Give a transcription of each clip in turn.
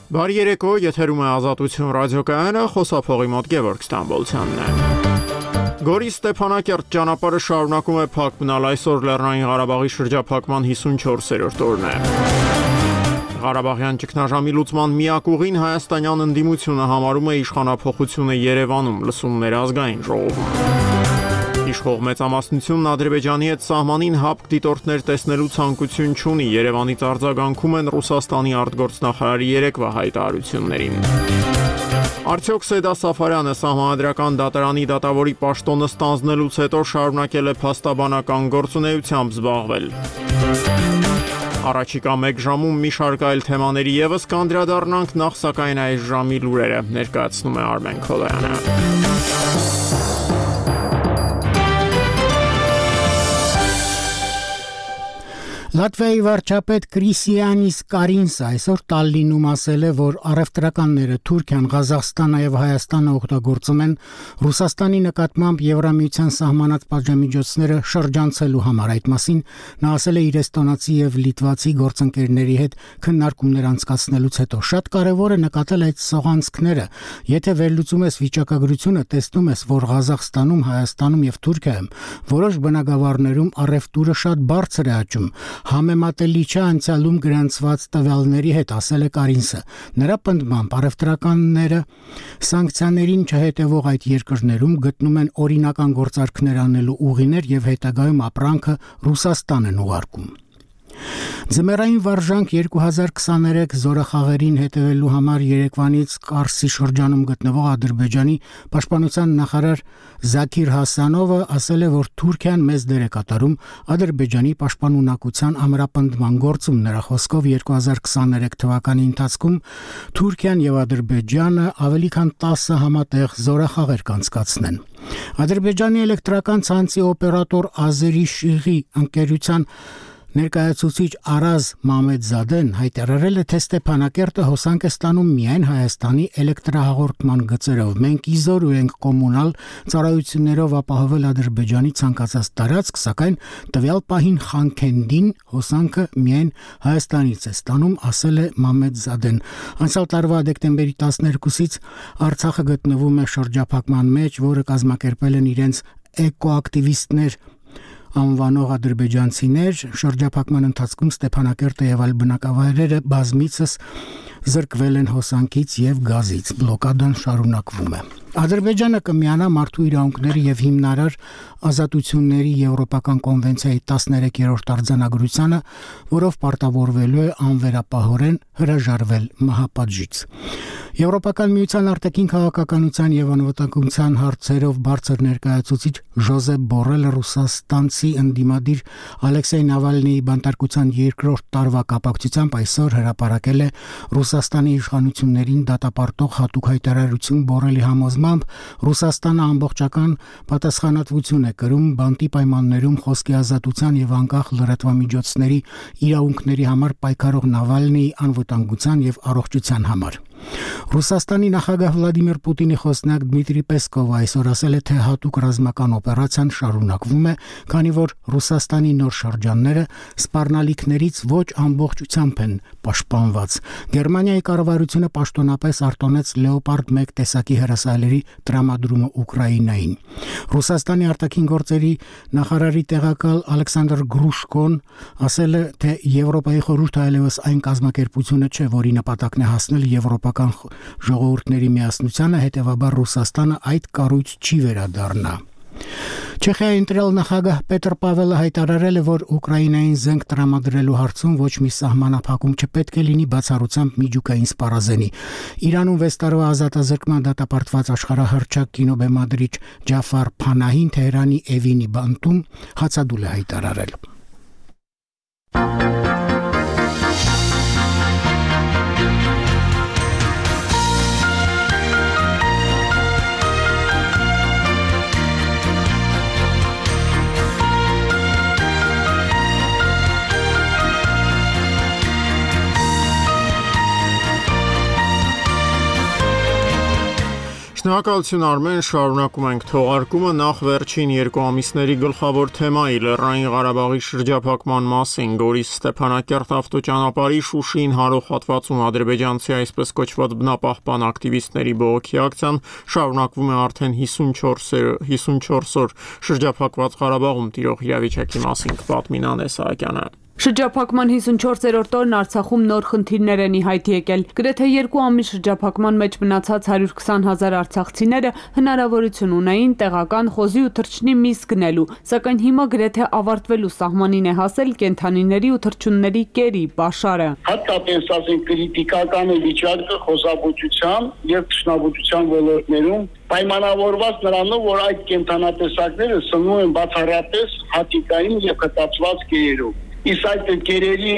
Բարի երեկո, եթերում է Ազատություն ռադիոկայանը, խոսափողի մոտ Գևորգ Ստամբոլցյանն է։ Գորի Ստեփանակերտ ճանապարհը շարունակում է փակ մնալ, այսօր Լեռնային Ղարաբաղի շրջափակման 54-րդ օրն է։ Ղարաբաղյան ճգնաժամի լուծման միակ ուղին հայաստանյան ընդդիմությունը համարում է իշխանափոխությունը Երևանում, լսումներ ազգային ժողովում։ Իշխող մեծամասնությունն Ադրբեջանի հետ սահմանին հապկ դիտորդներ տեսնելու ցանկություն չունի, Երևանից արձագանքում են Ռուսաստանի արտգործնախարարի երեկվա հայտարարություններին։ Արդյոք Սեդա Սաֆարյանը սահմանադրական դատարանի դատավորի պաշտոնը ստանձնելուց հետո շարունակել է փաստաբանական գործունեությամբ զբաղվել։ Առաջիկա մեկ ժամում մի շարք այլ թեմաների ևս կանդրադառնանք, նախ սակայն այս ժամի լուրերը ներկայացնում է Արմեն Քոլոյանը։ Լատվիայի վարչապետ Կրիսիանիս Կարինսը այսօր Տալլինում ասել է, որ առևտրականները Թուրքիան, Ղազախստանը եւ Հայաստանը օգտագործում են Ռուսաստանի նկատմամբ Եվրամիության սահմանած պատժամիջոցները շրջանցելու համար։ Այդ մասին նա ասել է իր էստոնացի եւ լիտվացի գործընկերների հետ քննարկումներ անցկացնելուց հետո։ Շատ կարեւոր է նկատել այդ սողանցքները։ Եթե վերլուծում ես վիճակագրությունը, տեսնում ես, որ Ղազախստանում, Հայաստանում եւ Թուրքիայում որոշ բնակավարներում առևտուրը շատ բարձր է աճում։ Համեմատելի չէ անցյալում գրանցված տվյալների հետ, ասել է Կարինսը։ Նրա պնդմամբ առևտրականները սանկցիաներին չհետևող այդ երկրներում գտնում են օրինական գործարքներ անելու ուղիներ եւ հետագայում ապրանքը Ռուսաստան են ուղարկում։ Ձմեռային վարժանք 2023 զորախաղերին հետևելու համար Երևանից Կարսի շրջանում գտնվող Ադրբեջանի պաշտպանության նախարար Զաքիր Հասանովը ասել է, որ Թուրքիան մեծ դեր է կատարում Ադրբեջանի պաշտպանունակության ամրապնդման գործում։ Նրա խոսքով 2023 թվականի ընթացքում Թուրքիան եւ Ադրբեջանը ավելի քան 10 համատեղ զորախաղեր կանցկացնեն։ Ադրբեջանի էլեկտրական ցանցի օպերատոր Ազերիշիղի ընկերության ներկայացուցիչ Արազ Մամեդզադեն հայտարարել է, թե Ստեփանակերտը հոսանք է ստանում միայն Հայաստանի էլեկտրահաղորդման գծերով։ Մենք իզորու ենք կոմունալ ծառայություններով ապահովել Ադրբեջանի ցանկացած տարածք, սակայն տվյալ պահին Խանքենդին հոսանքը միայն Հայաստանից է ստանում, ասել է Մամեդզադեն։ Անցյալ տարվա դեկտեմբերի 12-ից Արցախը գտնվում է շրջափակման մեջ, որը կազմակերպել են իրենց էկոակտիվիստներ անվանող ադրբեջանցիներ։ Շրջափակման ընթացքում Ստեփանակերտը եւ այլ բնակավայրերը բազմիցս զրկվել են հոսանքից եւ գազից։ Բլոկադան շարունակվում է։ Ադրբեջանը կմիանա մարդու իրավունքների եւ հիմնարար ազատությունների եվրոպական կոնվենցիայի 13-րդ արձանագրությանը, որով պարտավորվելու է անվերապահորեն հրաժարվել մահապատժից։ Եվրոպական միության արտաքին քաղաքականության եւ անվտանգության հարցերով բարձր ներկայացուցիչ Ժոզեփ Բորելը Ռուսաստանցի ընդդիմադիր Ալեքսեյ Նավալնիի բանտարկության երկրորդ տարվա կապակցությամբ այսօր հրապարակել է Ռուսաստանի իշխանություններին դատապարտող հատուկ հայտարարություն։ Բորելի համոզմամբ Ռուսաստանը ամբողջական պատասխանատվություն է կրում բանտի պայմաններում խոսքի ազատության եւ անկախ լրատվամիջոցների իրավունքների համար պայքարող Նավալնիի անվտանգության եւ առողջության համար։ Ռուսաստանի նախագահ Վլադիմիր Պուտինի խոսնակ Դմիտրի Պեսկովը այսօր ասել է, թե հատուկ ռազմական օպերացիան շարունակվում է, քանի որ Ռուսաստանի նոր շրջանները սպառնալիքներից ոչ ամբողջությամբ են պաշտպանված։ Գերմանիայի կառավարությունը պաշտոնապես արտոնեց Լեոպարդ 1 տեսակի հրասայլերի տրամադրումը Ուկրաինային։ Ռուսաստանի արտաքին գործերի նախարարի տեղակալ Ալեքսանդր Գրուշկոն ասել է, թե Եվրոպայի խորհուրդը այլևս այն կազմակերպությունը չէ, որի նպատակն է հասնել եվրոպական ժողովուրդների միասնությանը, հետևաբար Ռուսաստանը այդ կառույց չի վերադառնա։ Չեխիայի ընտրյալ նախագահ Պետր Պավելը հայտարարել է, որ Ուկրաինային զենք տրամադրելու հարցում ոչ մի սահմանափակում չպետք է լինի բացառությամբ միջուկային սպառազենի։ Իրանում 6 տարվա ազատազրկման դատապարտված աշխարհահռչակ կինոբեմադրիչ Ջաֆար Փանահին Թեհրանի Էվինի բանտում հացադուլ է հայտարարել։ Շնորհակալություն Արմեն, շարունակում ենք թողարկումը նախ վերջին 2 ամիսների գլխավոր թեմայի Լեռնային Ղարաբաղի շրջափակման մասին Գորիս Ստեփանակերտ ավտոճանապարհի Շուշիին հարող հատվածում ադրբեջանցի այսպես կոչված բնապահպան ակտիվիստների բողոքի ակցիան շարունակվում է արդեն 54 օր շրջափակված Ղարաբաղում տիրող իրավիճակի մասին կպատմի Նանե Սահակյանը։ Շրջափակման 54-րդ օրն Արցախում նոր խնդիրներ են ի հայտ եկել։ Գրեթե 2 ամիս շրջափակման մեջ մնացած 120,000 արցախցիները հնարավորություն ունեին տեղական խոզի ու թռչնի միս գնելու, սակայն հիմա գրեթե ավարտվելու սահմանին է հասել կենդանիների ու թռչունների կերի պաշարը։ Հատկապես ասենք քրիտիկական վիճակը խոզաբուծության եւ թռչնաբուծության ոլորտներում պայմանավորված նրանով, որ այդ կենդանատեսակները սնվում են բացառապես հատիկային եւ խտացված կերերով։ Իսկ այդ կերերի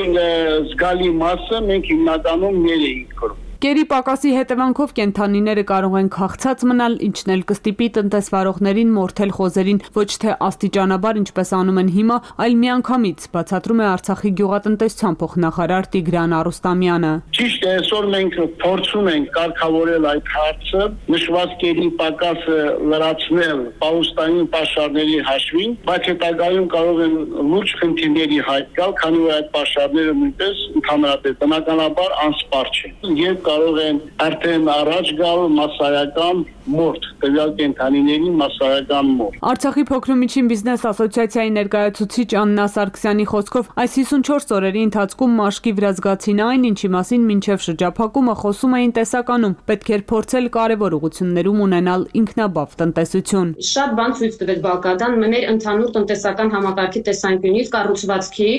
զգալի մասը մենք հիմնականում ներ էինք կրում։ Կերի պակասի հետևանքով կենդանիները կարող են քաղցած մնալ, ինչն էլ կստիպի տնտեսվարողներին մորթել խոզերին ոչ թե աստիճանաբար, ինչպես անում են հիմա, այլ միանգամից, բացատրում է Արցախի գյուղատնտեսության փոխնախարար Տիգրան Արուստամյանը։ Ճիշտ է, այսօր մենք փորձում ենք կարգավորել այդ հարցը, նշված կերի պակասը լրացնել պահուստային պաշարների հաշվին, բայց հետագայում կարող են լուրջ խնդիրների հայտ գալ, քանի որ այդ պաշարները նույնպես ընդհանրապես բնականաբար անսպառ չեն։ Եվ կարող են արդեն առաջ գալ մասսայական մորթ, տվյալ կենդանիների մասսայական մորթ։ Արցախի փոքրամիջին բիզնես ասոցիացիայի ներկայացուցիչ Աննա Սարգսյանի խոսքով, այս 54 օրերի ընթացքում մաշկի վրա զգացին այն, ինչի մասին մինչև շրջափակումը խոսում էին տեսականում, պետք էր փորձել կարևոր ուղղություններում ունենալ ինքնաբավ տնտեսություն։ Շատ բան ցույց տվեց Բաղդադան մեր ընդհանուր տնտեսական համակարգի տեսանկյունից, կառուցվածքի,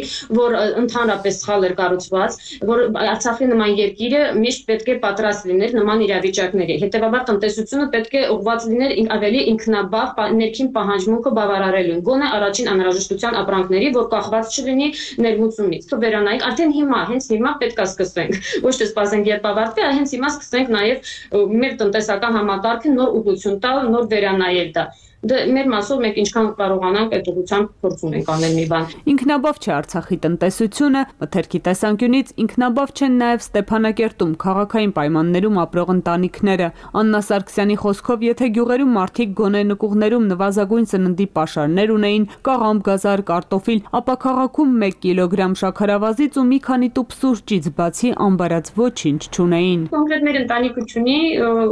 որ ընդհանրապես սխալ էր կառուցված, որ Արցախի նման երկիրը միշտ պետք է պատրաստ լիներ նման իրավիճակների։ Հետևաբար տնտեսությունը պետք է ուղղված լիներ ավելի ինքնաբավ ներքին պահանջմունքը բավարարելուն, գոնե առաջին անհրաժեշտության ապրանքների, որ կախված չլինի ներմուծումից։ Վերանայենք, արդեն հիմա, հենց հիմա պետք է սկսենք։ Ոչ թե սպասենք երբ ավարտվի, այլ հենց հիմա սկսենք նաև մեր տնտեսական համակարգը նոր ուղղություն տալ, նոր վերանայել դա։ Մեր մասով մենք ինչքան կարողանանք այդ ուղղությամբ փորձում ենք անել մի բան։ Ինքնաբավ չէ Արցախի տնտեսությունը, մթերքի տեսանկյունից ինքնաբավ չեն նաև Ստեփանակերտում քաղաքային պայմաններում ապրող ընտանիքները։ Աննա Սարգսյանի խոսքով, եթե գյուղերում մարդիկ գոնե նկուղներում նվազագույն սննդի պաշարներ ունեին, կաղամբ, գազար, կարտոֆիլ, ապա քաղաքում 1 կիլոգրամ շաքարավազից ու մի քանի տուփ սուրճից բացի ամբարած ոչինչ չունեին։ Կոնկրետ մեր ընտանիքը չունի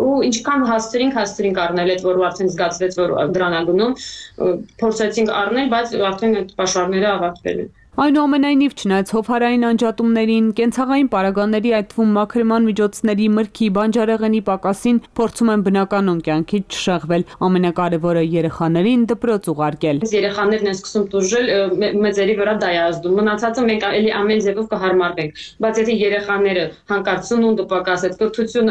ու ինչքան հասցրինք առնել այդ, որ արդեն զգացվեց, որ դրանագնում փորձեցինք առնել, բայց արդեն այդ պաշարները ավարտվել են։ Այնուամենայնիվ, չնայած հովհարային անջատումներին, կենցաղային պարագաների, այդ թվում մաքրման միջոցների, մրգի, բանջարեղենի պակասին, փորձում են բնականոն կյանքից չշեղվել, ամենակարևորը երեխաներին դպրոց ուղարկել։ Երեխաներն են սկսում տուժել, մեծերի վրա դա է ազդում։ Մնացածը մենք էլի ամեն ձևով կհարմարվենք, բայց եթե երեխաները հանկարծ սնունդը պակասեց,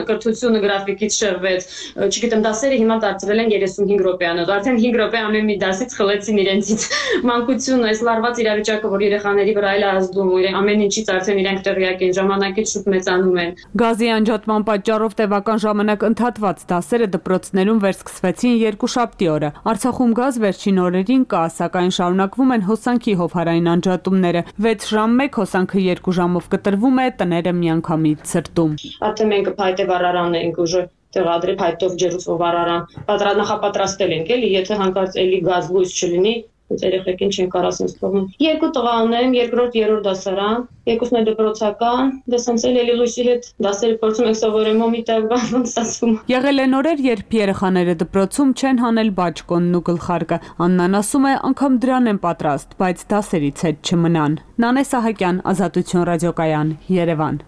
կրթությունը գրաֆիկից շեղվեց, չգիտեմ, դասերը հիմա դարձրել են 35 րոպեանոց, արդեն 5 րոպե ամեն մի դասից խլեցին իրենցից։ Մանկությունը, այս լարված իրավիճակը, որ երեխաների վրա էլ ազդում, ամեն ինչից արդեն իրենք տեղյակ են, ժամանակից շուտ մեծանում են։ Գազի անջատման պատճառով տևական ժամանակ ընդհատված դասերը դպրոցներում վերսկսվեցին երկուշաբթի օրը։ Արցախում գազ վերջին օրերին կա, սակայն շարունակվում են հոսանքի հովհարային անջատումները։ 6 ժամ 1 հոսանքը 2 ժամով կտրվում է, տները միանգամից ցրտում։ Արդեն մենք փայտե վառարանն ենք ուժը տեղադրել, փայտով ջերուցող վառարան նախապատրաստել ենք, էլի, եթե հանկարծ էլի գազ լույս չլինի, երեխեքին չեն կարող ասենց թողնում։ 2 տղա ունեմ, 2-րդ, 3-րդ դասարան, երկուսն է դպրոցական, դեսենց էլի լույսի հետ դասերը փորձում ենք սովորել, մոմիտակ բան ստացվում։ Եղել են օրեր, երբ երեխաները դպրոցում չեն հանել բաճկոնն ու գլխարկը։ Աննան ասում է, անգամ դրան են պատրաստ, բայց դասերից հետ չմնան։ Նանե Սահակյան, Ազատություն ռադիոկայան, Երևան։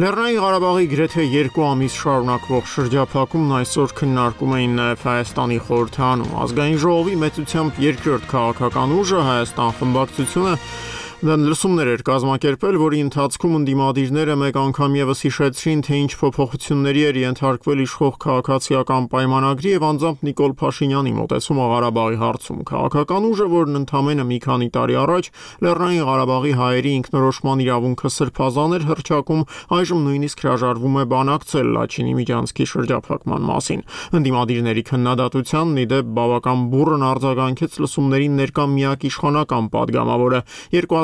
Լեռնային Ղարաբաղի գրեթե 2 ամիս շարունակվող շրջափակումն այսօր քննարկում էին նաև Հայաստանի խորհրդարանում։ Ազգային ժողովի մեծությամբ երկրորդ քաղաքական ուժը Հայաստան խմբակցությունը Լսումներ էր կազմակերպել, որի ընթացքում ընդդիմադիրները մեկ անգամ ևս հիշեցրին, թե ինչ փոփոխությունների էր ենթարկվել իշխող քաղաքացիական պայմանագրի եւ անձամբ Նիկոլ Փաշինյանի մոտեցումը Ղարաբաղի հարցում։ Քաղաքական ուժը, որն ընդամենը մի քանի տարի առաջ Լեռնային Ղարաբաղի հայերի ինքնորոշման իրավունքը սրբազան էր հռչակում, այժմ նույնիսկ հրաժարվում է բանակցել Լաչինի Միջանցքի շրջափակման մասին։ Ընդդիմադիրների քննադատությանն ի դեպ բավական բուռն արձագանքեց լսումներին ներկա միակ իշխանական падգամավորը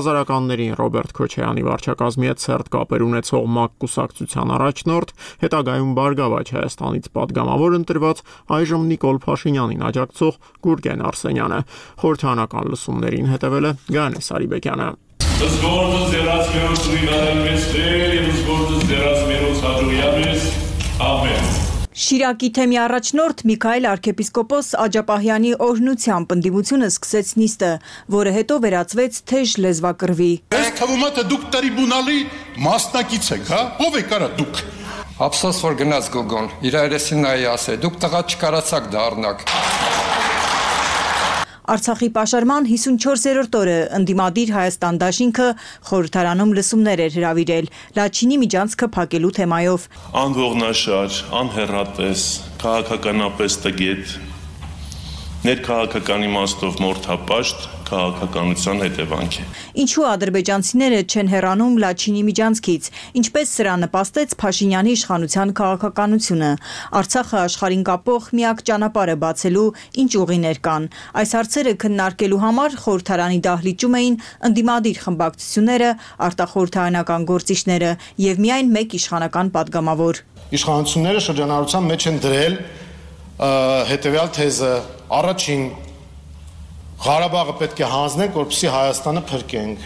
2000-ականներին Ռոբերտ Քոչարյանի վարչակազմի հետ սերտ կապեր ունեցող ՄԱԿ կուսակցության առաջնորդ, հետագայում Բարգավաճ Հայաստանից падգամավոր ընտրված այժմ Նիկոլ Փաշինյանին աջակցող Գուրգեն Արսենյանը։ Խորհրդարանական լսումներին հետևել է Գայանե Սարիբեկյանը։ Շիրակի թեմի առաջնորդ Միքայել arczepiskopos Աջապահյանի օրհնությամբ ընդդիմությունը սկսեց նիստը, որը հետո վերածվեց թեժ լեզվակռվի։ Ես թվում է թե դուք տրիբունալի մասնակից եք, հա? Ո՞վ եք արա դուք։ Ափսոս որ գնաց Գոգոն, իր երեսին նայի ասե, դուք տղա չկարացաք դառնաք։ Արցախի պաշարման 54-րդ օրը ընդդիմադիր Հայաստան դաշինքը խորհրդարանում լսումներ էր հրավիրել Լաչինի միջանցքը փակելու թեմայով։ Անողնաշար, անհեռատես, քաղաքականապես տգետ, ներքաղաքական իմաստով մորթապաշտ քաղաքականության հետևանք է։ Ինչու ադրբեջանցիները չեն հեռանում Լաչինի միջանցքից, ինչպես սրա նպաստեց Փաշինյանի իշխանության քաղաքականությունը, Արցախը աշխարհին կապող միակ ճանապարհը բացելու ինչ ուղիներ կան։ Այս հարցերը քննարկելու համար խորհրդարանի դահլիճում էին ընդդիմադիր խմբակցությունները, արտախորհրդարանական գործիչները եւ միայն մեկ իշխանական падգամավոր։ Իշխանությունները շրջանառության մեջ են դրել հետեւյալ թեզը. առաջին Ղարաբաղը պետք է հանձնենք, որպեսզի Հայաստանը փրկենք։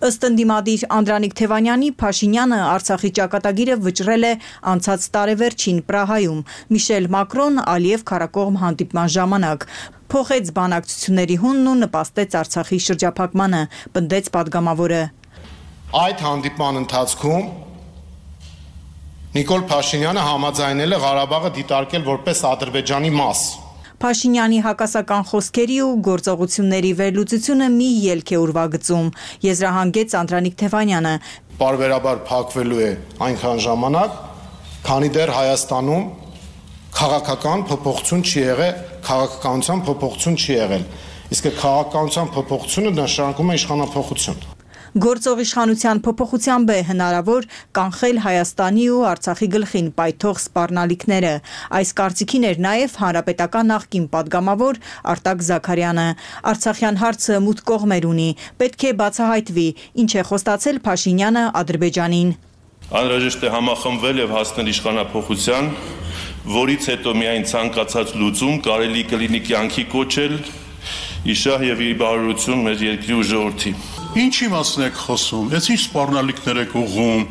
Ըստ ընդդիմադիր Անդրանիկ Թևանյանի, Փաշինյանը Արցախի ճակատագիրը վճռել է անցած տարեվերջին Պրահայում Միշել Մակրոն Ալիև քարակողմ հանդիպման ժամանակ։ Փոխեց բանակցությունների հունն ու նպաստեց Արցախի շրջափակմանը, պնդեց падգամավորը։ Այդ հանդիպման ընթացքում Նիկոլ Փաշինյանը համաձայնել է Ղարաբաղը դիտարկել որպես Ադրբեջանի մաս։ Փաշինյանի հակասական խոսքերի ու գործողությունների վերլուծությունը մի ելք է ուրվագծում, եզրահանգեց Անդրանիկ Թևանյանը։ Պարբերաբար փակվելու է այնքան ժամանակ, քանի դեռ Հայաստանում քաղաքական փոփոխություն չի եղել, քաղաքականության փոփոխություն չի եղել։ Իսկ քաղաքականության փոփոխությունը նշանակում է իշխանափոխություն։ Գործող իշխանության փոփոխությամբ է հնարավոր կանխել Հայաստանի ու Արցախի գլխին պայթող սպառնալիքները։ Այս կարծիքին էր նաև հանրապետական նախկին падգամավոր Արտակ Զաքարյանը։ Արցախյան հարցը մութ կողմեր ունի, պետք է բացահայտվի, ինչ է խոստացել Փաշինյանը Ադրբեջանին։ Անհրաժեշտ է համախմբվել եւ հասնել իշխանափոխության, որից հետո միայն ցանկացած լուծում կարելի կլինի կյանքի կոչել իշահ եւ իր բարօրություն մեր երկրի ու ժողովրդի։ Ինչի մասն եք խոսում, ես ինչ սպառնալիքներ եք ուղղում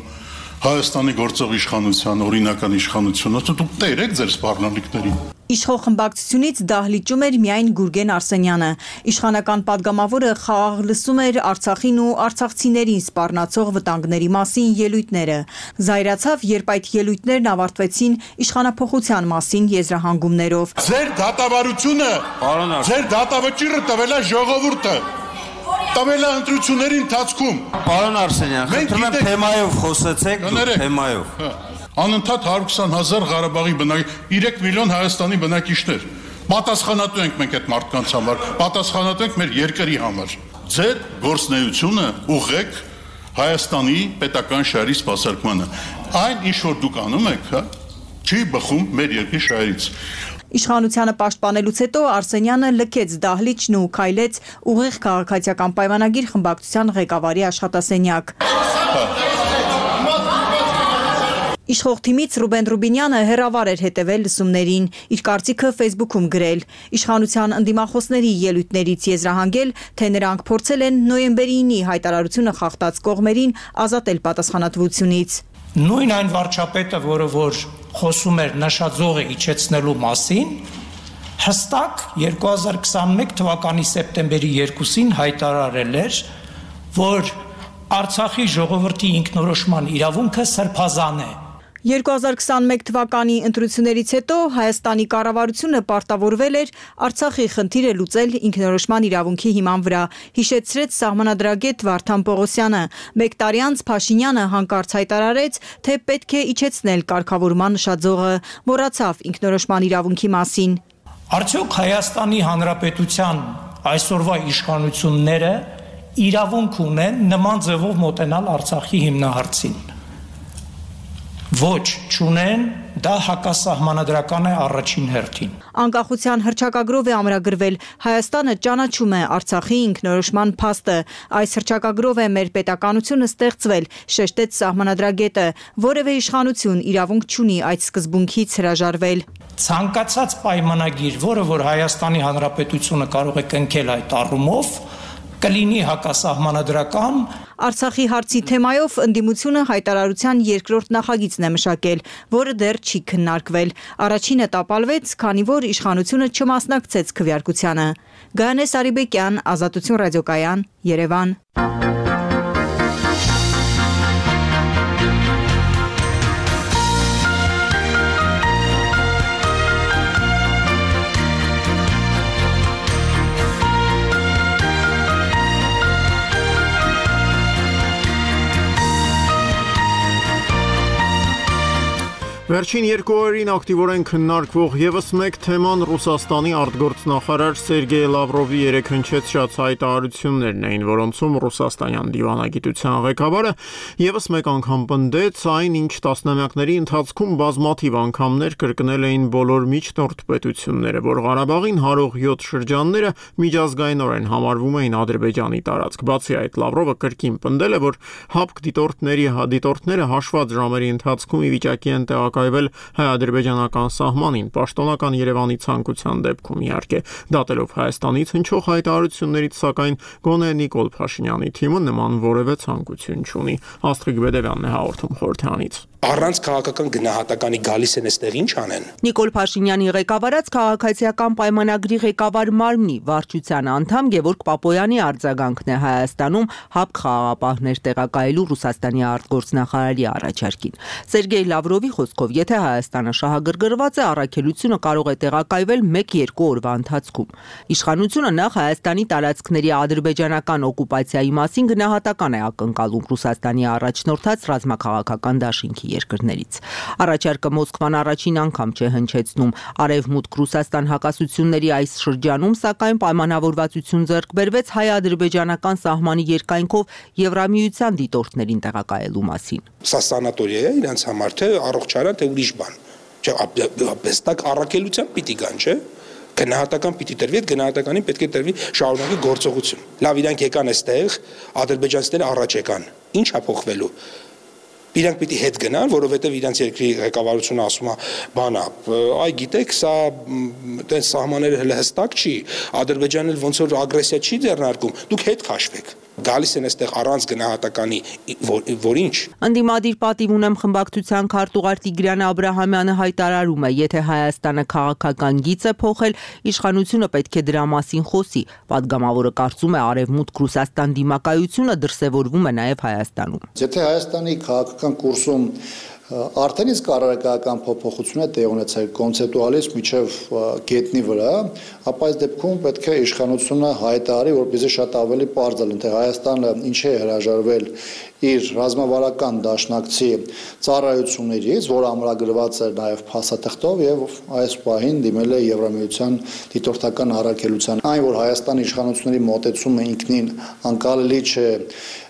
Հայաստանի գործող իշխանության, օրինական իշխանությունը, դուք տեր եք ձեր սպառնալիքներին։ Իշխող խմբակցությունից դահլիճում էր միայն Գուրգեն Արսենյանը։ Իշխանական падգամավորը խաղաղ լսում էր Արցախին ու արցախցիներին սպառնացող վտանգների մասին ելույթները։ Զայրացավ, երբ այդ ելույթներն ավարտվեցին իշխանափոխության մասին եզրահանգումներով։ Ձեր դատավարությունը, ձեր դատավճիռը տվել է ժողովուրդը։ Տվել է ընտրությունների ընթացքում։ Պարոն Արսենյան, խնդրում եմ թեմայով խոսեցեք, թեմայով։ Անընդհատ 120,000 Ղարաբաղի բնակիչ, 3 միլիոն Հայաստանի բնակիչներ։ Պատասխանատու ենք մենք այդ մարդկանց համար, պատասխանատու ենք մեր երկրի համար։ Ձեր գործնեությունը ուղղեք Հայաստանի պետական շահերի սպասարկմանը։ Այն ինչ որ դուք անում եք, հա, չի բխում մեր երկրի շահերից։ Իշխանությանը պաշտպանելուց հետո Արսենյանը լքեց դահլիճն ու քայլեց ուղիղ քաղաքացիական պայմանագիր խմբակցության ղեկավարի աշխատասենյակ։ Իշխող թիմից Ռուբեն Ռուբինյանը հերավար էր հետևել լսումներին, իր կարծիքը Facebook-ում գրել, իշխանության ընդդիմախոսների ելույթներից եզրահանգել, թե նրանք փորձել են նոյեմբերի 9-ի հայտարարությունը խախտած կողմերին ազատել պատասխանատվությունից։ Նույն այն վարչապետը, որ խոսում էր նշաձողը իջեցնելու մասին, հստակ 2021 թվականի սեպտեմբերի 2-ին հայտարարել էր, որ Արցախի ժողովրդի ինքնորոշման իրավունքը սրբազան է։ 2021 թվականի ընտրություններից հետո Հայաստանի կառավարությունը պարտավորվել էր Արցախի խնդիրը լուծել ինքնորոշման իրավունքի հիման վրա, հիշեցրեց սահմանադրագետ Վարդան Պողոսյանը։ Մեկ տարի անց Փաշինյանը հանկարծ հայտարարեց, թե պետք է իջեցնել կարգավորման նշաձողը, մոռացավ ինքնորոշման իրավունքի մասին։ Արդյոք Հայաստանի Հանրապետության այսօրվա իշխանությունները իրավունք ունեն նման ձևով մոտենալ Արցախի հիմնահարցին։ Ոչ, չունեն, դա հակասահմանադրական է առաջին հերթին։ Անկախության հռչակագրով է ամրագրվել, Հայաստանը ճանաչում է Արցախի ինքնորոշման փաստը։ Այս հռչակագրով է մեր պետականությունը ստեղծվել, շեշտեց սահմանադրագետը, որևէ իշխանություն իրավունք չունի այդ սկզբունքից հրաժարվել։ Ցանկացած պայմանագիր, որը որ Հայաստանի Հանրապետությունը կարող է կնքել այդ առումով, կլինի հակասահմանադրական։ Արցախի հարցի թեմայով ընդդիմությունը հայտարարության երկրորդ նախագիծն է մշակել, որը դեռ չի քննարկվել։ Առաջինը տապալվեց, քանի որ իշխանությունը չմասնակցեց քվեարկությանը։ Գայանե Սարիբեկյան, Ազատություն ռադիոկայան, Երևան։ Վերջին երկու օրերին ակտիվորեն քննարկվող եւս մեկ թեման Ռուսաստանի արտգործնախարար Սերգեյ Լավրովի երեքնչեց շատ հայտարարություններն էին, որոնցում ռուսաստանյան դիվանագիտության ղեկավարը եւս մեկ անգամ պնդեց այն, ինչ տասնամյակների ընթացքում բազմաթիվ անգամներ կրկնել էին բոլոր միջնորդ պետությունները, որ Ղարաբաղին հարող 7 շրջանները միջազգայինորեն համարվում էին Ադրբեջանի տարածք։ Բացի այդ, Լավրովը կրկին պնդել է, որ ՀԱՊԿ դիտորդները հաշված ժամերի ընթացքում ի վիճակի են տեղակայվել հայ-ադրբեջանական սահմանին, պաշտոնական Երևանի ցանկության դեպքում իհարկե, դատելով Հայաստանից հնչող հայտարարություններից, սակայն գոնե Նիկոլ Փաշինյանի թիմը նման որևէ ցանկություն չունի։ Աստղիկ Բեդևյանն է հաղորդում խորհրդանից։ Առանց քաղաքական գնահատականի գալիս են այստեղ ինչ անեն։ Նիկոլ Փաշինյանի ղեկավարած քաղաքացիական պայմանագրի ղեկավար մարմնի վարչության անդամ Գևորգ Պապոյանի արձագանքն է Հայաստանում ՀԱՊԿ խաղաղապահներ տեղակայելու Ռուսաստանի արտգործնախարարի առաջարկին։ Սերգեյ Լավրովի խոսքով, եթե Հայաստանը շահագրգռված է, առաքելությունը կարող է տեղակայվել 1-2 օրվա ընթացքում։ Իշխանությունը նախ Հայաստանի տարածքների ադրբեջանական օկուպացիայի մասին գնահատական է ակնկալում Ռուսաստանի առաջնորդած ռազմաքաղաքական դաշինքի երկրներից։ Առաջարկը Մոսկվան առաջին անգամ չէ հնչեցնում։ Արևմուտք Ռուսաստան հակասությունների այս շրջանում, սակայն պայմանավորվածություն ձեռք բերվեց հայ-ադրբեջանական սահմանի երկայնքով Եվրամիության դիտորդներին տեղակայելու մասին։ Սա սանատորիա է իրանց համար, թե առողջարան, թե ուրիշ բան։ Բեստակ առաքելության պիտի գան, չէ՞։ Գնահատական պիտի տրվի, այդ գնահատականին պետք է տրվի շարունակի գործողություն։ Լավ, իրանք եկան այստեղ, ադրբեջանցիները առաջ եկան։ Ինչ է փոխվելու։ Իրանք պիտի հետ գնան, որովհետև իրանք երկրի ղեկավարությունը ասում է, բանա, այ գիտեք, սա տես սահմանները հələ հստակ չի, Ադրբեջանը ոնց որ ագրեսիա չի ձեռնարկում, դուք հետ քաշվեք։ Գալիս են այստեղ առանց գնահատականի, որ ինչ։ Ընդդիմադիր պատիվ ունեմ խմբակցության քարտուղար Տիգրան Աբրահամյանը հայտարարում է, եթե Հայաստանը քաղաքական գիծ է փոխել, իշխանությունը պետք է դրա մասին խոսի։ Պատգամավորը կարծում է, Արևմուտք Ռուսաստան դիմակայությունը դրսևորվում է նաև Հայաստանում։ Եթե Հայաստանի քաղաքական կուրսում արդեն իսկ առարկայական փոփոխություն է տեղ ունեցել կոնցեպտուալից միջև գետնի վրա, ապա այս դեպքում պետք է իշխանությունը հայտարարի, որպեսզի շատ ավելի պարզ լինի, թե Հայաստանը ինչ է հրաժարվել իր ռազմավարական դաշնակցի ծառայություններից, որը ամրագրված էր նաև փաստաթղթով եւ այս պահին դիմել է Եվրամիության դիտորդական առաքելության։ Այն, որ Հայաստանի իշխանությունների մոտեցումը ինքնին անկալելի չէ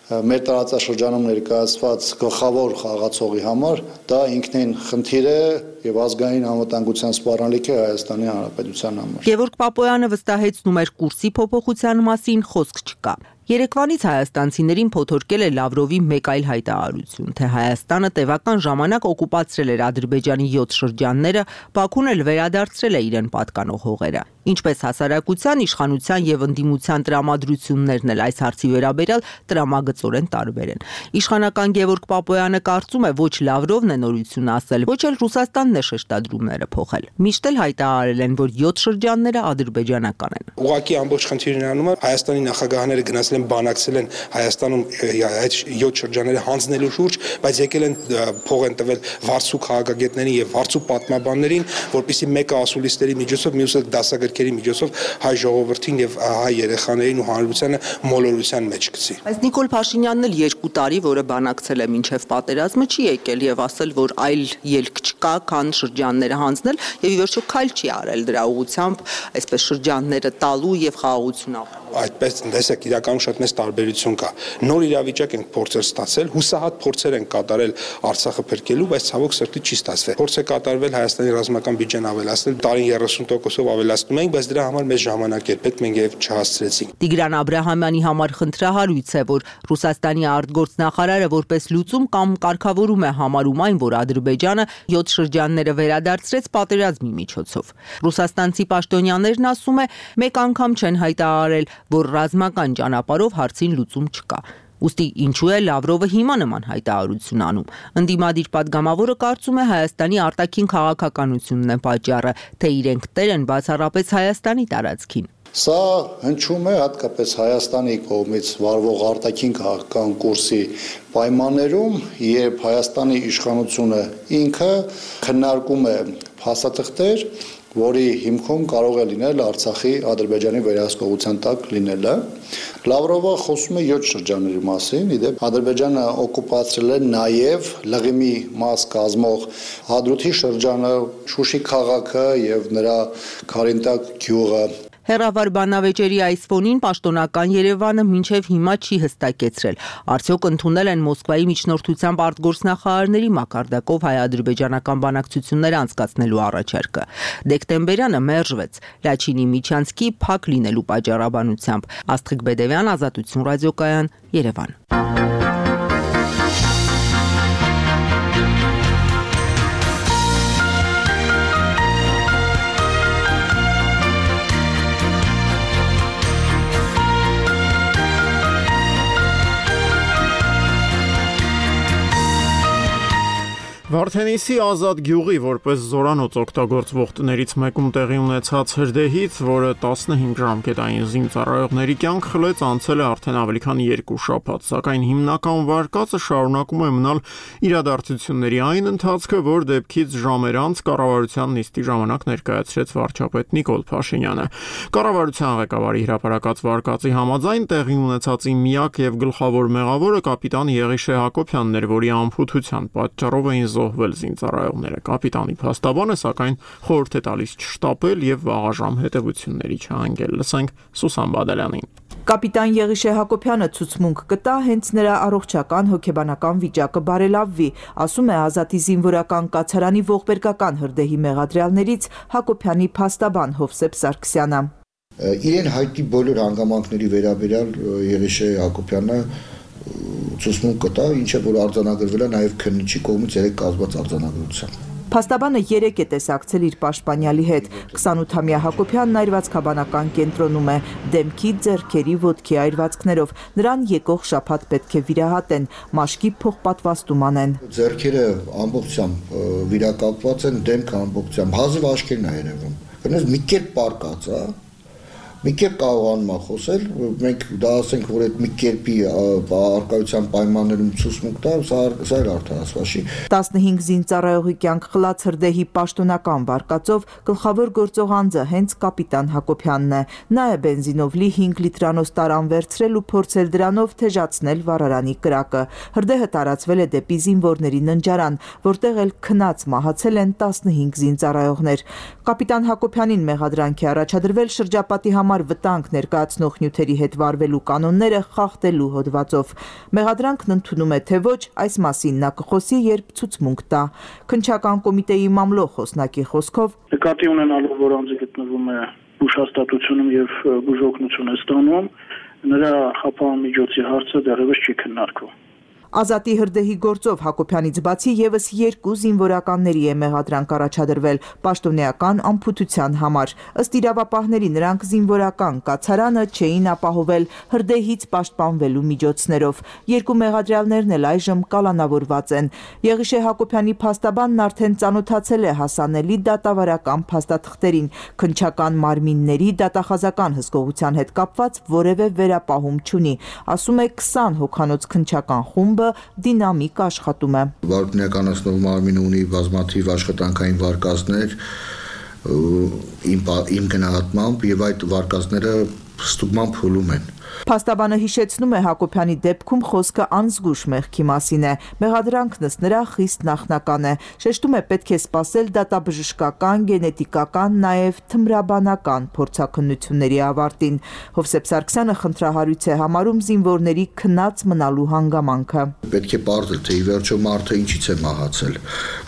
մեր տարածաշրջանում ներկայացված գլխավոր խաղացողի համար, դա ինքնին խնդիր է եւ ազգային անվտանգության սպառնալիք է Հայաստանի Հանրապետության համար։ Գևորգ Պապոյանը վստահեցնում էր կուրսի փոփոխության մասին խոսք չկա։ Երեկվանից հայաստանցիներին փոթորկել է Լավրովի մեկ այլ հայտարարություն, թե Հայաստանը տևական ժամանակ օկուպացրել էր Ադրբեջանի 7 շրջանները, Բաքուն էլ վերադարձրել է իրեն պատկանող հողերը։ Ինչպես հասարակության, իշխանության եւ ընդդիմության տրամադրություններն էլ այս հարցի վերաբերյալ տրամագծորեն տարբեր են։ Իշխանական Գևորգ Պապոյանը կարծում է, ոչ Լավրովն է նորություն ասել, ոչ էլ Ռուսաստանն է շեշտադրումները փոխել։ Միշտ էլ հայտարարել են, որ 7 շրջանները ադրբեջանական են։ Ուղղակի ամբողջ խնդիրն անում է Հայաստանի նախագահները գնացել ասել են բանակցել են Հայաստանում այդ 7 շրջանները հանձնելու շուրջ, բայց եկել են փող են տվել վարձու քաղաքագետներին եւ վարձու պատմաբաններին, որպեսզի մեկը ասուլիսների միջոցով, մյուսը դասագրքերի միջոցով հայ ժողովրդին եւ հայ երեխաներին ու հանրությանը մոլորության մեջ գցի։ Բայց Նիկոլ Փաշինյանն էլ 2 տարի, որը բանակցել է մինչև պատերազմը, չի եկել եւ ասել, որ այլ ելք չկա, քան շրջանները հանձնել եւ ի վերջո քայլ չի արել դրա ուղղությամբ, այսպես շրջանները տալու եւ խաղաղություն ապրելու։ Այդպես տեսեք, իրականում շատ մեծ տարբերություն կա։ Նոր իրավիճակ ենք փորձեր ստացել, հուսահատ փորձեր են կատարել Արցախը փրկելու, բայց ցավոք սրտի չի ստացվել։ Փորձ է կատարվել Հայաստանի ռազմական բյուջեն ավելացնել, տարին 30%-ով ավելացնում ենք, բայց դրա համար մեծ ժամանակ էր պետք, մենք եւ չհասցրեցինք։ Տիգրան Աբրահամյանի համար խնդրահարույց է, որ Ռուսաստանի արտգործնախարարը որպես լուծում կամ կարգավորում է համարում այն, որ Ադրբեջանը 7 շրջանները վերադարձրեց պատերազմի միջոցով։ Ռուսաստանցի պաշտոնյաներն ասում է, մեկ անգամ չեն հայտարարել, որ ռազմական ճանապարհով հարցին լուծում չկա։ Ուստի ինչու է Լավրովը հիմա նման հայտարարություն անում։ Ընդդիմադիր падգամավորը կարծում է Հայաստանի արտաքին քաղաքականությունն է պատճառը, թե իրենք տեր են բացառապես Հայաստանի տարածքին։ Սա հնչում է հատկապես Հայաստանի կողմից վարվող արտաքին քաղաքական կուրսի պայմաններում, երբ Հայաստանի իշխանությունը ինքը քննարկում է փաստաթղթեր, որի հիմքում կարող է լինել Արցախի Ադրբեջանի վերահսկողության տակ լինելը։ Լավրովը խոսում է 7 շրջանների մասին, իդեպ Ադրբեջանը օկուպացրել է նաև Լղիմի մաս կազմող Հադրութի շրջանը, Շուշի քաղաքը եւ նրա Քարինտակ գյուղը։ Հեռավար բանավեճերի այս ֆոնին պաշտոնական Երևանը մինչև հիմա չի հստակեցրել, արդյոք ընդունել են Մոսկվայի միջնորդությամբ արտգործնախարարների մակարդակով հայ-ադրբեջանական բանակցություններ անցկացնելու առաջարկը։ Դեկտեմբերյանը մերժվեց Լաչինի Միչանցկի փակ լինելու պատճառաբանությամբ։ Աստղիկ Բեդևյան, Ազատություն ռադիոկայան, Երևան։ Վարդենիսի ազատ գյուղի որպես զորանոց օգտագործվող տներից մեկում տեղի ունեցած հրդեհից, որը 15 ժամկետային զինծառայողների կյանք խլեց, անցել է արդեն ավելի քան 2 շաբաթ, սակայն հիմնական վարկածը շարունակում է մնալ իրադարձությունների այն ընթացքը, որ դեպքից ժամեր անց կառավարության նիստի ժամանակ ներկայացրեց վարչապետ Նիկոլ Փաշինյանը։ Կառավարության ղեկավարի հրապարակած վարկածի համաձայն տեղի ունեցածի միակ եւ գլխավոր մեղավորը կապիտան Եղիշե Հակոբյանն էր, որի անփութության պատճառով էին զոհվել զինծառայողները։ Կապիտանի փաստաբանը սակայն խորհուրդ է տալիս չշտապել եւ վաղաժամ հետեւությունների չհանգել։ Լսենք Սուսան Բադալյանին։ Կապիտան Եղիշե Հակոբյանը ցուցմունք կտա, հենց նրա առողջական հոգեբանական վիճակը բարելավվի, ասում է Ազատի զինվորական կացարանի ողբերգական հրդեհի մեղադրյալներից Հակոբյանի փաստաբան Հովսեփ Սարգսյանը։ Իրեն հայտնի բոլոր հանգամանքների վերաբերյալ Եղիշե Հակոբյանը ցուցմունք կտա, ինչը որ արձանագրվել է նաև քննիչի կողմից երեք կազմված արձանագրությամբ։ Փաստաբանը 3 է տեսակցել իր պաշտպանյալի հետ։ 28-ամյա Հակոբյանն այրվածքաբանական կենտրոնում է, դեմքի, ձեռքերի, ոտքի այրվածքներով։ Նրան եկող շաբաթ պետք է վիրահատեն, մաշկի փոխպատվաստում անեն։ Ձեռքերը ամբողջությամբ վիրակապված են, դեմքը ամբողջությամբ հազիվ աչքերն է երևում։ Գնաց մի կերպ պարկած, մի կերպ կարողանում է խոսել, մենք դա ասենք, որ այդ մի կերպի արկայության պայմաններում ցուցմունք տա, սա էլ արդարացվաշի։ 15 զինծառայողի կյանք խլած հրդեհի պաշտոնական վարկածով գլխավոր գործող անձը հենց կապիտան Հակոբյանն է։ Նա է բենզինով լի 5 լիտրանոց տարան վերցրել ու փորձել դրանով թեժացնել վառարանի կրակը։ Հրդեհը տարածվել է դեպի զինվորների ննջարան, որտեղ էլ քնած մահացել են 15 զինծառայողներ։ Կապիտան Հակոբյանին մեղադրանք է առաջադրվել շրջապատի համար վտանգ ներկայացնող նյութերի հետ վարվելու կանոնները խախտելու հոդվածով։ Մեղադրանքն ընդունում է թե ոչ, այս մասին նա կխոսի, երբ ցուցմունք տա։ Քննչական կոմիտեի մամլո խոսնակի խոսքով նկատի ունենալով, որ անձը գտնվում է ուշաստատությունում եւ բուժօգնություն է ստանում, նրա խափան միջոցի հարցը դեռևս չի քննարկվում։ Ազատի հրդեհի գործով Հակոբյանից բացի եւս 2 զինվորականների է մեղադրանք առաջադրվել պաշտոնեական անփութության համար։ Ըստ իրավապահների նրանք զինվորական կացարանը չէին ապահովել հրդեհից պաշտպանվելու միջոցներով։ 2 մեղադրյալներն էլ այժմ կալանավորված են։ Եղիշե Հակոբյանի փաստաբանն արդեն ծանոթացել է հասանելի դատավարական փաստաթղթերին, քննչական մարմինների դատախազական հսկողության հետ կապված որևէ վերապահում չունի։ Ասում է 20 հոգանոց քննչական խումբը դինամիկ աշխատում է։ Վարկանացնող մարմինը ունի բազմաթիվ աշխատանքային վարկածներ իմ գնահատմամբ եւ այդ վարկածները ստուգման փուլում են։ Փաստաբանը հիշեցնում է Հակոբյանի դեպքում խոսքը անզգույշ մեղքի մասին է։ Մեղադրանքն ըստ նրա խիստ նախնական է։ Շեշտում է պետք է սպասել դատաբժշկական, գենետիկական, նաև թմրաբանական փորձաքննությունների ավարտին։ Հովսեփ Սարգսյանը խնդրահարույց է համարում զինվորների քնած մնալու հանգամանքը։ Պետք է պարզել, թե ի վերջո մարդը ինչից է մահացել։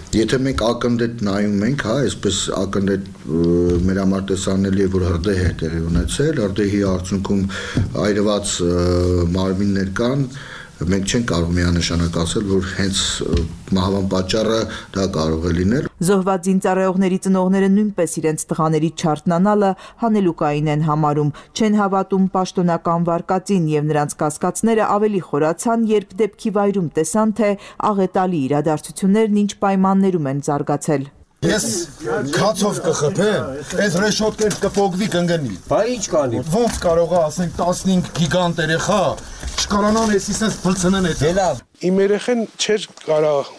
Եթե մենք ակնհայտ նայում ենք, այսպես ակնհայտ մեր համար տեսանելի է, որ հրդեհ է տեղի ունեցել, հրդեհի արդյունքում այրված մարմիններ կան, մենք չենք կարող միանշանակ ասել, որ հենց մահվան պատճառը դա կարող է լինել։ Զոհված զինծառայողների ծնողները նույնպես իրենց տղաների չարտնանալը հանելուկային են համարում, չեն հավատում պաշտոնական վարկածին եւ նրանց կասկածները ավելի խորացան, երբ դեպքի վայրում տեսան, թե աղետալի իրադարձություններն ինչ պայմաններում են զարգացել։ Ես քացով կխփեմ, այս ռեշոտկեր կփոգվի կընկնի։ Բա ինչ կանի։ Ոնց կարող է ասենք 15 գիգանտ երեխա չկարանան էսի sense բլցնեն այդ։ Լավ։ Իմ երեխեն չէր կարող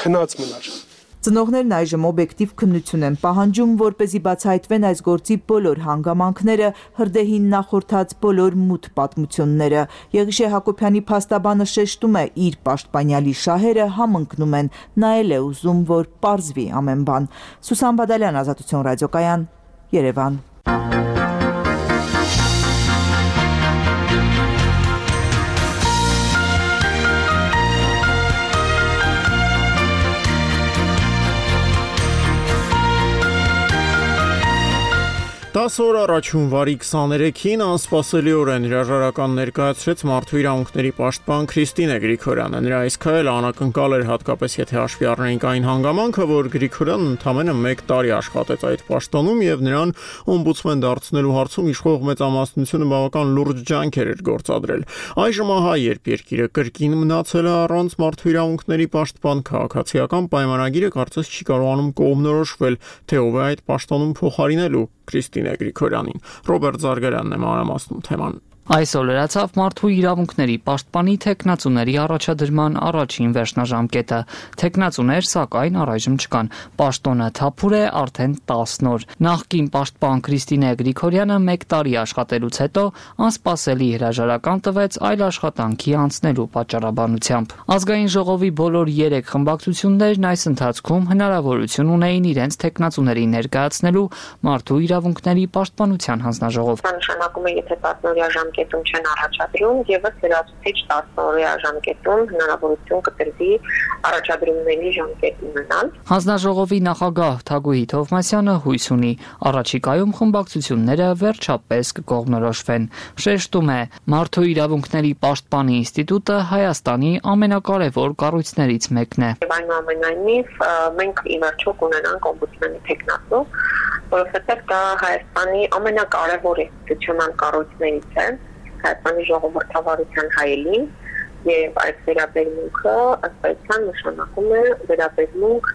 քնած մնար։ Ծնողներն այժմ օբյեկտիվ քննություն են պահանջում, որպեսզի բացահայտվեն այս գործի բոլոր հանգամանքները, հրդեհին նախորդած բոլոր մութ պատմությունները։ Եղիշե Հակոբյանի փաստաբանը շեշտում է, իր պաշտպանյալի շահերը համընկնում են, նա էլ է ուզում, որ պարզվի ամեն բան։ Սուսան Բադալյան, Ազատություն ռադիոկայան, Երևան։ Տասը օր առաջ հունվարի 23-ին անսպասելիորեն հրաժարական ներկայացրեց մարդու իրավունքների պաշտպան Քրիստինե Գրիգորյանը։ Նրա այս քայլը անակնկալ էր հատկապես եթե հաշվի առնենք այն հանգամանքը, որ Գրիգորյանն ընդամենը 1 տարի աշխատեց այդ պաշտոնում եւ նրան օմբուդսմեն դարձնելու հարցում իշխող մեծամասնությունը բավական լուրջ ջանքեր էր գործադրել։ Այժմ ահա երբ երկիրը կրկին մնացել է առանց մարդու իրավունքների պաշտպան քաղաքացիական պայմանագիրը կարծես չի կարողանում կողմնորոշվել, թե ով է այդ պաշտոնում փոխարինելու Քրիստինե Գրիգորյանին։ Ռոբերտ Զարգարյանն է մանրամասնում թեման։ Այսօր լրացավ մարդու իրավունքների պաշտպանի թեկնածուների առաջադրման առաջին վերջնաժամկետը։ Թեկնածուներ, սակայն առայժմ չկան։ Պաշտոնը թափուր է արդեն 10 օր։ Նախկին պաշտպան Քրիստինե Գրիգորյանը 1 տարի աշխատելուց հետո անսպասելի հրաժարական տվեց այլ աշխատանքի անցնելու պատճառաբանությամբ։ Ազգային ժողովի բոլոր 3 խմբակցություններն այս ընթացքում հնարավորություն ունեին իրենց թեկնածուների ներկայացնելու մարդու իրավունքների պաշտպանության հանձնաժողով։ Նշանակում է, եթե 10 օրյա ժամկետում չեն առաջադրում, եւս լրացուցիչ 10 օրյա ժամկետում հնարավորություն կտրվի առաջադրումների ժամկետ ունենալ։ Հանձնաժողովի նախագահ Թագուհի Թովմասյանը հույս ունի, առաջիկայում խմբակցությունները վերջապես կկողմնորոշվեն։ Շեշտում է, մարդու իրավունքների պաշտպանի ինստիտուտը Հայաստանի ամենակարևոր կառույցներից մեկն է։ Այնուամենայնիվ մենք ի վերջո կունենանք օմբուդսմենի թեկնածու, որովհետև դա Հայաստանի ամենակարևոր ինստիտուցիոնալ կառույցներից է, Հայաստանի ժողովրդավարության հայելին, եւ այդ վերաբերմունքը ըստ այդքան նշանակում է վերաբերմունք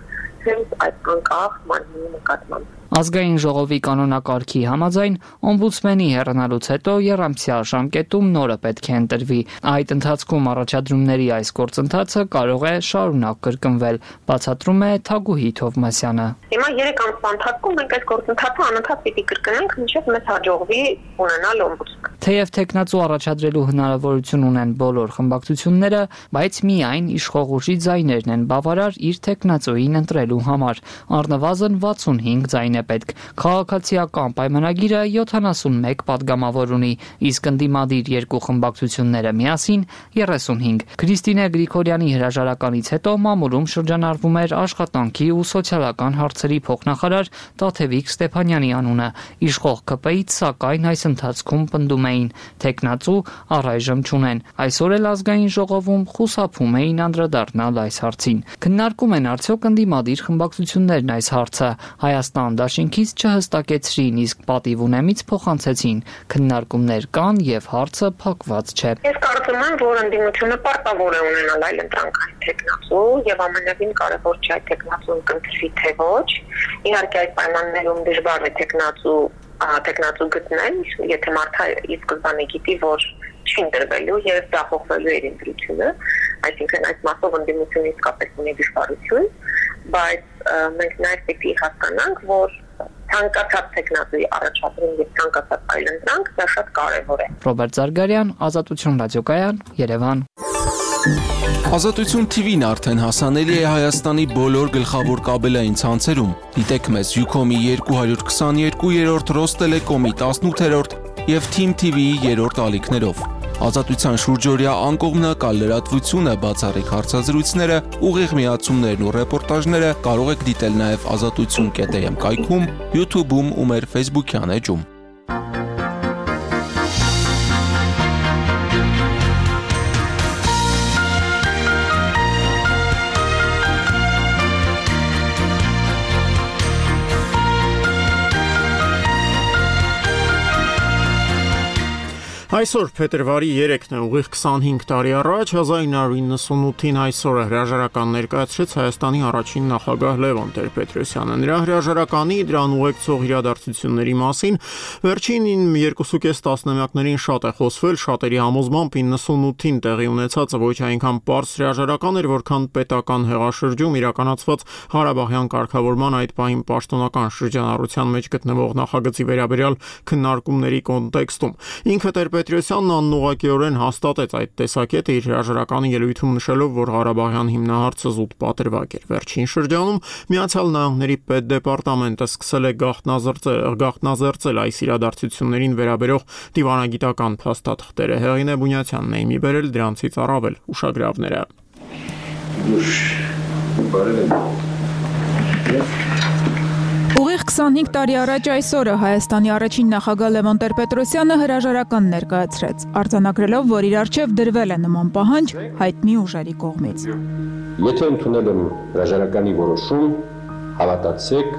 հենց այդ անկախ մարմնի նկատմամբ։ Ազգային ժողովի կանոնակարգի համաձայն օմբուդսմենի հեռանալուց հետո եռամսյա ժամկետում նորը պետք է ընտրվի։ Այդ ընթացքում առաջադրումների այս գործընթացը կարող է շարունակ կրկնվել, բացատրում է Թագուհի Թովմասյանը։ Հիմա 3 ամսվա ընթացքում մենք այս գործընթացը անընդհատ պիտի կրկնենք, մինչև մեզ հաջողվի ունենալ օմբուդսմեն։ Թեև թեկնածու առաջադրելու հնարավորություն ունեն բոլոր խմբակցությունները, բայց միայն իշխող ուժի ձայներն են բավարար իր թեկնածուին ընտրելու համար։ Առնվազն 65 ձայն է պետք։ Քաղաքացիական պայմանագիրը 71 падգամավոր ունի, իսկ ընդդիմադիր երկու խմբակցությունները միասին 35։ Քրիստինե Գրիգորյանի հրաժարականից հետո մամուլում շրջանառվում էր աշխատանքի ու սոցիալական հարցերի փոխնախարար Տաթևիկ Ստեփանյանի անունը։ Իշխող ԿՊ-ից սակայն այս ընթացքում պնդում էին թեկնածու առայժմ չունեն։ Այսօր էլ ազգային ժողովում խուսափում էին անդրադառնալ այս հարցին։ Քննարկում են արդյոք ընդդիմադիր խմբակցություններն այս հարցը։ Հայաստան դաշինքից չհստակեցրին, իսկ պատիվ ունեմից փոխանցեցին։ Քննարկումներ կան եւ հարցը փակված չէ։ Ես կարծում եմ, որ ընդդիմությունը պարտավոր է ունենալ այլ ընտրանքային թեկնածու եւ ամենևին կարեւոր չէ այդ թեկնածուն կընտրվի թե ոչ։ Իհարկե այդ պայմաններում դժվար է թեկնածու գտնել, եթե մարդը ի սկզբանե գիտի, որ չի ընտրվելու եւ դախողվելու է ընտրությունը, այսինքն այս մասով ընդդիմությունը իսկապես ունի դժվարություն, բայց մենք նաեւ պետք է հասկանանք, որ ցանկացած տեխնոլոգիայի առաջադրում եւ ցանկացած այլ ընտրանք դա շատ կարեւոր է։ Ռոբերտ Զարգարյան, Ազատություն ռադիոկայան, Երևան։ Ազատություն TV-ն արդեն հասանելի է Հայաստանի բոլոր գլխավոր կաբելային ցանցերում։ Դիտեք մեզ Ucom-ի 222-րդ, Ռոստելեկոմի 18-րդ եւ Team TV-ի 3-րդ ալիքներով։ Ազատության շուրջօրյա անկողմնակալ լրատվությունը, բացառիկ հարցազրույցները, ուղիղ միացումներն ու ռեպորտաժները կարող եք դիտել նաև azatutsun.am կայքում, YouTube-ում ու մեր Facebook-յան էջում։ Այսօր փետրվարի 3-ն է, ուղիղ 25 տարի առաջ 1998-ին այսօրը հրաժարական ներկայացրեց Հայաստանի առաջին նախագահ Լևոն Տեր-Պետրոսյանը։ Նրա հրաժարականի դրան ուղեկցող իրադարձությունների մասին վերջին 2.5 տասնամյակներին շատ է խոսվել, շատերի համոզմամբ 98-ին տեղի ունեցածը ոչ այնքան պարզ հրաժարական էր, որքան պետական հեղաշրջում իրականացված Ղարաբաղյան կարգավորման այդ պահին պաշտոնական շրջանառության մեջ գտնվող նախագծի վերաբերյալ քննարկումների կոնտեքստում։ Ինքը Պետրոսյանն անուղղակիորեն հաստատեց այդ տեսակետը իր հրաժարականի ելույթում նշելով, որ Ղարաբաղյան հիմնահարցը զուտ պատրվակ էր։ Վերջին շրջանում Միացյալ Նահանգների պետդեպարտամենտը սկսել է գաղտնազերծել այս իրադարձություններին վերաբերող դիվանագիտական փաստաթղթերը։ Հեղինե Բունյացյանն է իմի բերել դրանցից առավել ուշագրավները։ Ուղիղ 25 տարի առաջ այսօրը Հայաստանի առաջին նախագահ Լևոն Տեր-Պետրոսյանը հրաժարական ներկայացրեց, արձանագրելով, որ իր առջև դրվել է նման պահանջ հայտնի ուժերի կողմից։ Եթե ընդունել եմ հրաժարականի որոշում, հավատացեք,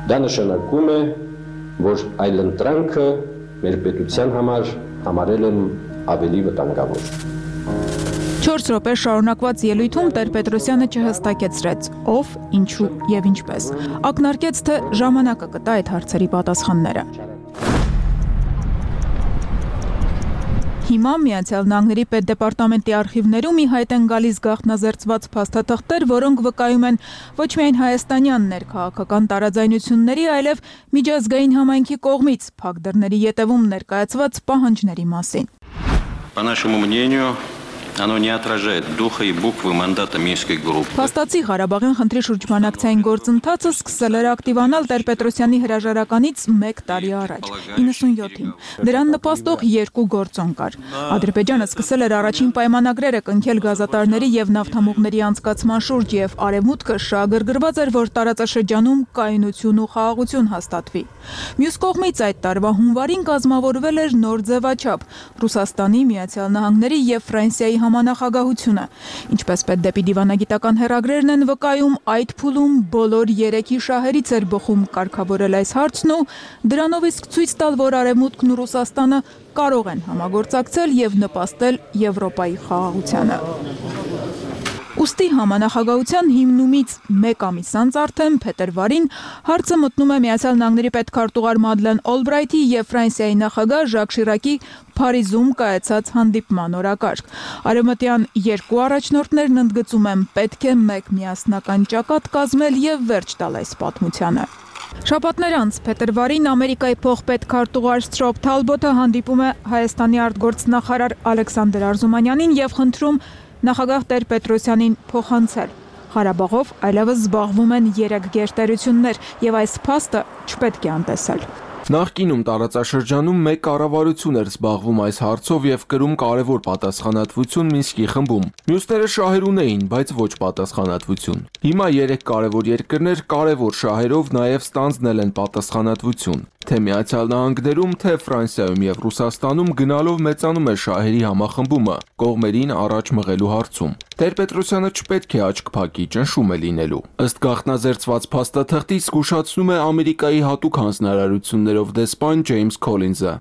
դա նշանակում է, որ այլընտրանքը մեր պետության համար համարել եմ ավելի վտանգավոր։ 4 րոպե շարունակված ելույթում Տեր-Պետրոսյանը չհստակեցրեց ով, ինչու եւ ինչպես։ Ակնարկեց, թե ժամանակը կտա այդ հարցերի պատասխանները։ Հիմա Միացյալ Նահանգների պետդեպարտամենտի արխիվներում ի հայտ են գալիս գաղտնազերծված փաստաթղթեր, որոնք վկայում են ոչ միայն հայաստանյան ներքաղաքական տարաձայնությունների, այլև միջազգային համայնքի կողմից փակ դռների ետևում ներկայացված պահանջների մասին։ По нашему мнению, оно не отражает духа и буквы мандата Минской группы. Փաստացի Ղարաբաղյան խնդրի շրջմանակցային գործընթացը սկսել էր ակտիվանալ Տեր-Պետրոսյանի հրաժարականից 1 տարի առաջ, 97-ին։ Դրան նպաստող 2 գործոն կար։ Ադրբեջանը սկսել էր առաջին պայմանագրերը կնքել գազատարների եւ նավթամուղների անցկացման շուրջ եւ Արևմուտքը շահագրգռված էր, որ տարածաշրջանում կայունություն ու խաղաղություն հաստատվի։ Մյուս կողմից այդ տարվա հունվարին կազմավորվել էր նոր ձևաչափ՝ Ռուսաստանի, Միացյալ Նահանգների եւ Ֆրանսիայի համանախագահությունը։ Ինչպես պետդեպի դիվանագիտական հեռագրերն են վկայում, այդ փուլում բոլոր 3-ի շահերից էր բխում կարգավորել այս հարցն ու դրանով իսկ ցույց տալ, որ Արևմուտքն ու Ռուսաստանը կարող են համագործակցել եւ նպաստել Եվրոպայի խաղաղությանը։ Ուստի համանախագահության հիմնումից 1 ամիս անց արդեն փետրվարին հարցը մտնում է Միացյալ Նահանգների պետքարտուղար Մադլեն Օլբրայթի եւ Ֆրանսիայի նախագահ Ժակ Շիրակի Փարիզում կայացած հանդիպման օրակարգ։ Արևմտյան 2 առաջնորդներն ընդգծում են, պետք է մեկ միասնական ճակատ կազմել եւ վերջ տալ այս պատմությանը։ Շաբաթներ անց փետրվարին Ամերիկայի փոխպետքարտուղար Սթրոփ Թալբոթը հանդիպում է Հայաստանի արտգործնախարար Ալեքսանդր Արզումանյանին եւ խնդրում նախագահ Տեր-Պետրոսյանին փոխանցել Ղարաբաղով այլևս զբաղվում են 3 գերտերություններ եւ այս փաստը չպետք է անտեսել։ Նախկինում տարածաշրջանում մեկ կառավարություն էր զբաղվում այս հարցով եւ կրում կարևոր պատասխանատվություն Մինսկի խմբում։ Մյուսները շահեր ունեին, բայց ոչ պատասխանատվություն։ Հիմա 3 կարևոր երկրներ կարևոր շահերով նաեւ ստանձնել են պատասխանատվություն։ Թե Միացյալ Նահանգներում, թե Ֆրանսիայում եւ Ռուսաստանում գնալով մեծանում է շահերի համախմբումը կողմերին առաջ մղելու հարցում։ Տեր-Պետրոսյանը չպետք է աչք փակի, ճնշում է լինելու։ Ըստ գաղտնազերծված փաստաթղթի զգուշացնում է Ամերիկայի հատուկ հանձնարարություններով դեսպան Ջեյմս Քոլինզը։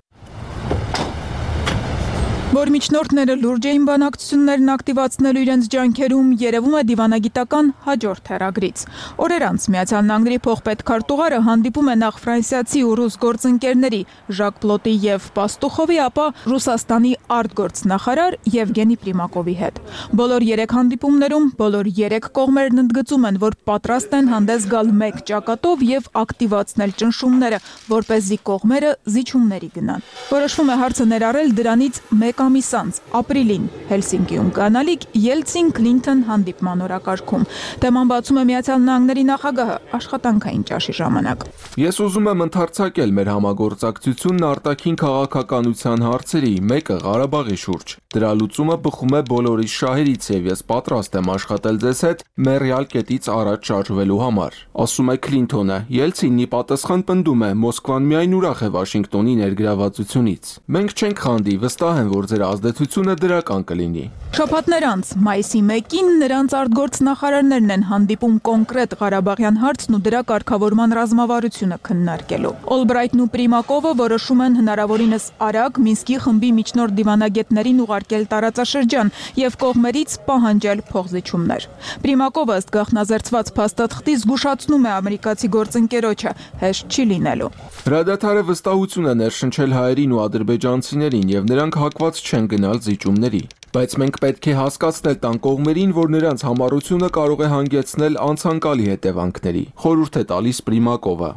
Որ միջնորդները լուրջ էին բանակցություններն ակտիվացնելու իրենց ջանքերում, երևում է դիվանագիտական հաջորդ հեռագրից։ Օրեր անց Միացյալ Նահանգների փոխպետքարտուղարը հանդիպում է նախ ֆրանսիացի ու ռուս գործընկերների Ժակ Պլոտի եւ Պաստուխովի, ապա Ռուսաստանի արտգործնախարար Եվգենի Պրիմակովի հետ։ Բոլոր 3 հանդիպումներում բոլոր 3 կողմերն ընդգծում են, որ պատրաստ են հանդես գալ մեկ ճակատով եւ ակտիվացնել ճնշումները, որպեսզի կողմերը զիջումների գնան։ Որոշվում է հարցը ներառել դրանից մեկ ամիս անց, ապրիլին, Հելսինկիում կանալիք Ելցին-Քլինթոն հանդիպման օրակարգում։ Թեման բացում է Միացյալ Նահանգների նախագահը աշխատանքային ճաշի ժամանակ։ Ես ուզում եմ ընդարձակել մեր համագործակցությունն արտաքին քաղաքականության հարցերի, մեկը Ղարաբաղի շուրջ։ Դրա լուծումը բխում է բոլորիս շահերից եւ ես պատրաստ եմ աշխատել ձեզ հետ մեռյալ կետից առաջ շարժվելու համար։ Ասում է Քլինթոնը։ Ելցինի պատասխան պնդում է Մոսկվան միայն ուրախ է Վաշինգտոնի ներգրավվածությունից։ Մենք չենք խանդի, վստահ եմ, որ ձեր ազդեցությունը դրական կլինի։ Շաբաթներ անց, մայիսի 1-ին նրանց արտգործնախարարներն են հանդիպում կոնկրետ Ղարաբաղյան հարցն ու դրա կարգավորման ռազմավարությունը քննարկելու։ Օլբրայթն ու Պրիմակովը որոշում են հնարավորինս արագ Մինսկի խմբի միջնորդ դիվանագետներին ուղարկել տարածաշրջան եւ կողմերից պահանջել փոխզիջումներ։ Պրիմակովը ըստ գաղտնազերծված փաստաթղթի զգուշացնում է ամերիկացի գործընկերոջը, հեշտ չի լինելու։ Հրադադարը վստահություն է ներշնչել հայերին ու ադրբեջանցիներին եւ նրանք հակված չեն գնալ զիջումների։ Բայց մենք պետք է հասկացնել տան կողմերին, որ նրանց համառությունը կարող է հանգեցնել անցանկալի հետևանքների։ Խորհուրդ է տալիս Պրիմակովը։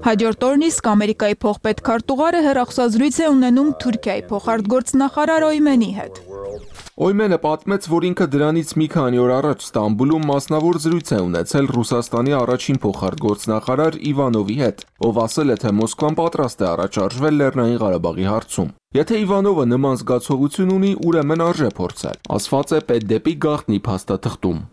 Հաջորդ օրն իսկ Ամերիկայի փոխպետքարտուղարը հեռախոսազրույց է ունենում Թուրքիայի փոխարտգործնախարար Օյմենի հետ։ Օյմենը պատմեց, որ ինքը դրանից մի քանի օր առաջ Ստամբուլում մասնավոր զրույց է ունեցել Ռուսաստանի առաջին փոխարտգործնախարար Իվանովի հետ, ով ասել է, թե Մոսկվան պատրաստ է առաջարժվել Լեռնային Ղարաբաղի հարցում։ Եթե Իվանովը նման զգացողություն ունի, ուրեմն արժե փորձել, ասված է պետդեպի գաղտնի փաստաթղթում։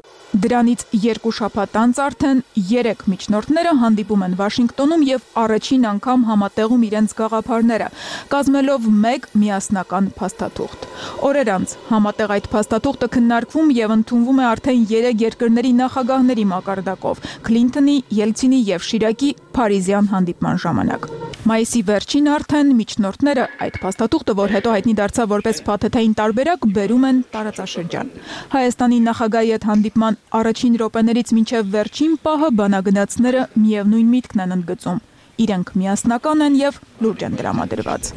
Դրանից 2 շաբաթ անց արդեն 3 միջնորդները հանդիպում են Վաշինգտոնում եւ առաջին անգամ համատեղում իրենց գաղափարները, կազմելով մեկ միասնական փաստաթուղթ։ Օրեր անց համատեղ այդ փաստաթուղթը քննարկվում եւ ընդունվում է արդեն 3 երկրների նախագահների մակարդակով՝ Քլինթոնի, Ելցինի եւ Շիրակի Փարիզյան հանդիպման ժամանակ։ Մայիսի վերջին արդեն միջնորդները այդ փաստաթուղթը, որ հետո հայտնի դարձավ որպես փաթեթային տարբերակ, բերում են տարածաշրջան։ Հայաստանի նախագահի հետ հանդիպման առաջին րոպեներից մինչև վերջին պահը բանագնացները միևնույն միտքն են ընդգծում։ Իրենք միասնական են եւ լուրջ են տրամադրված։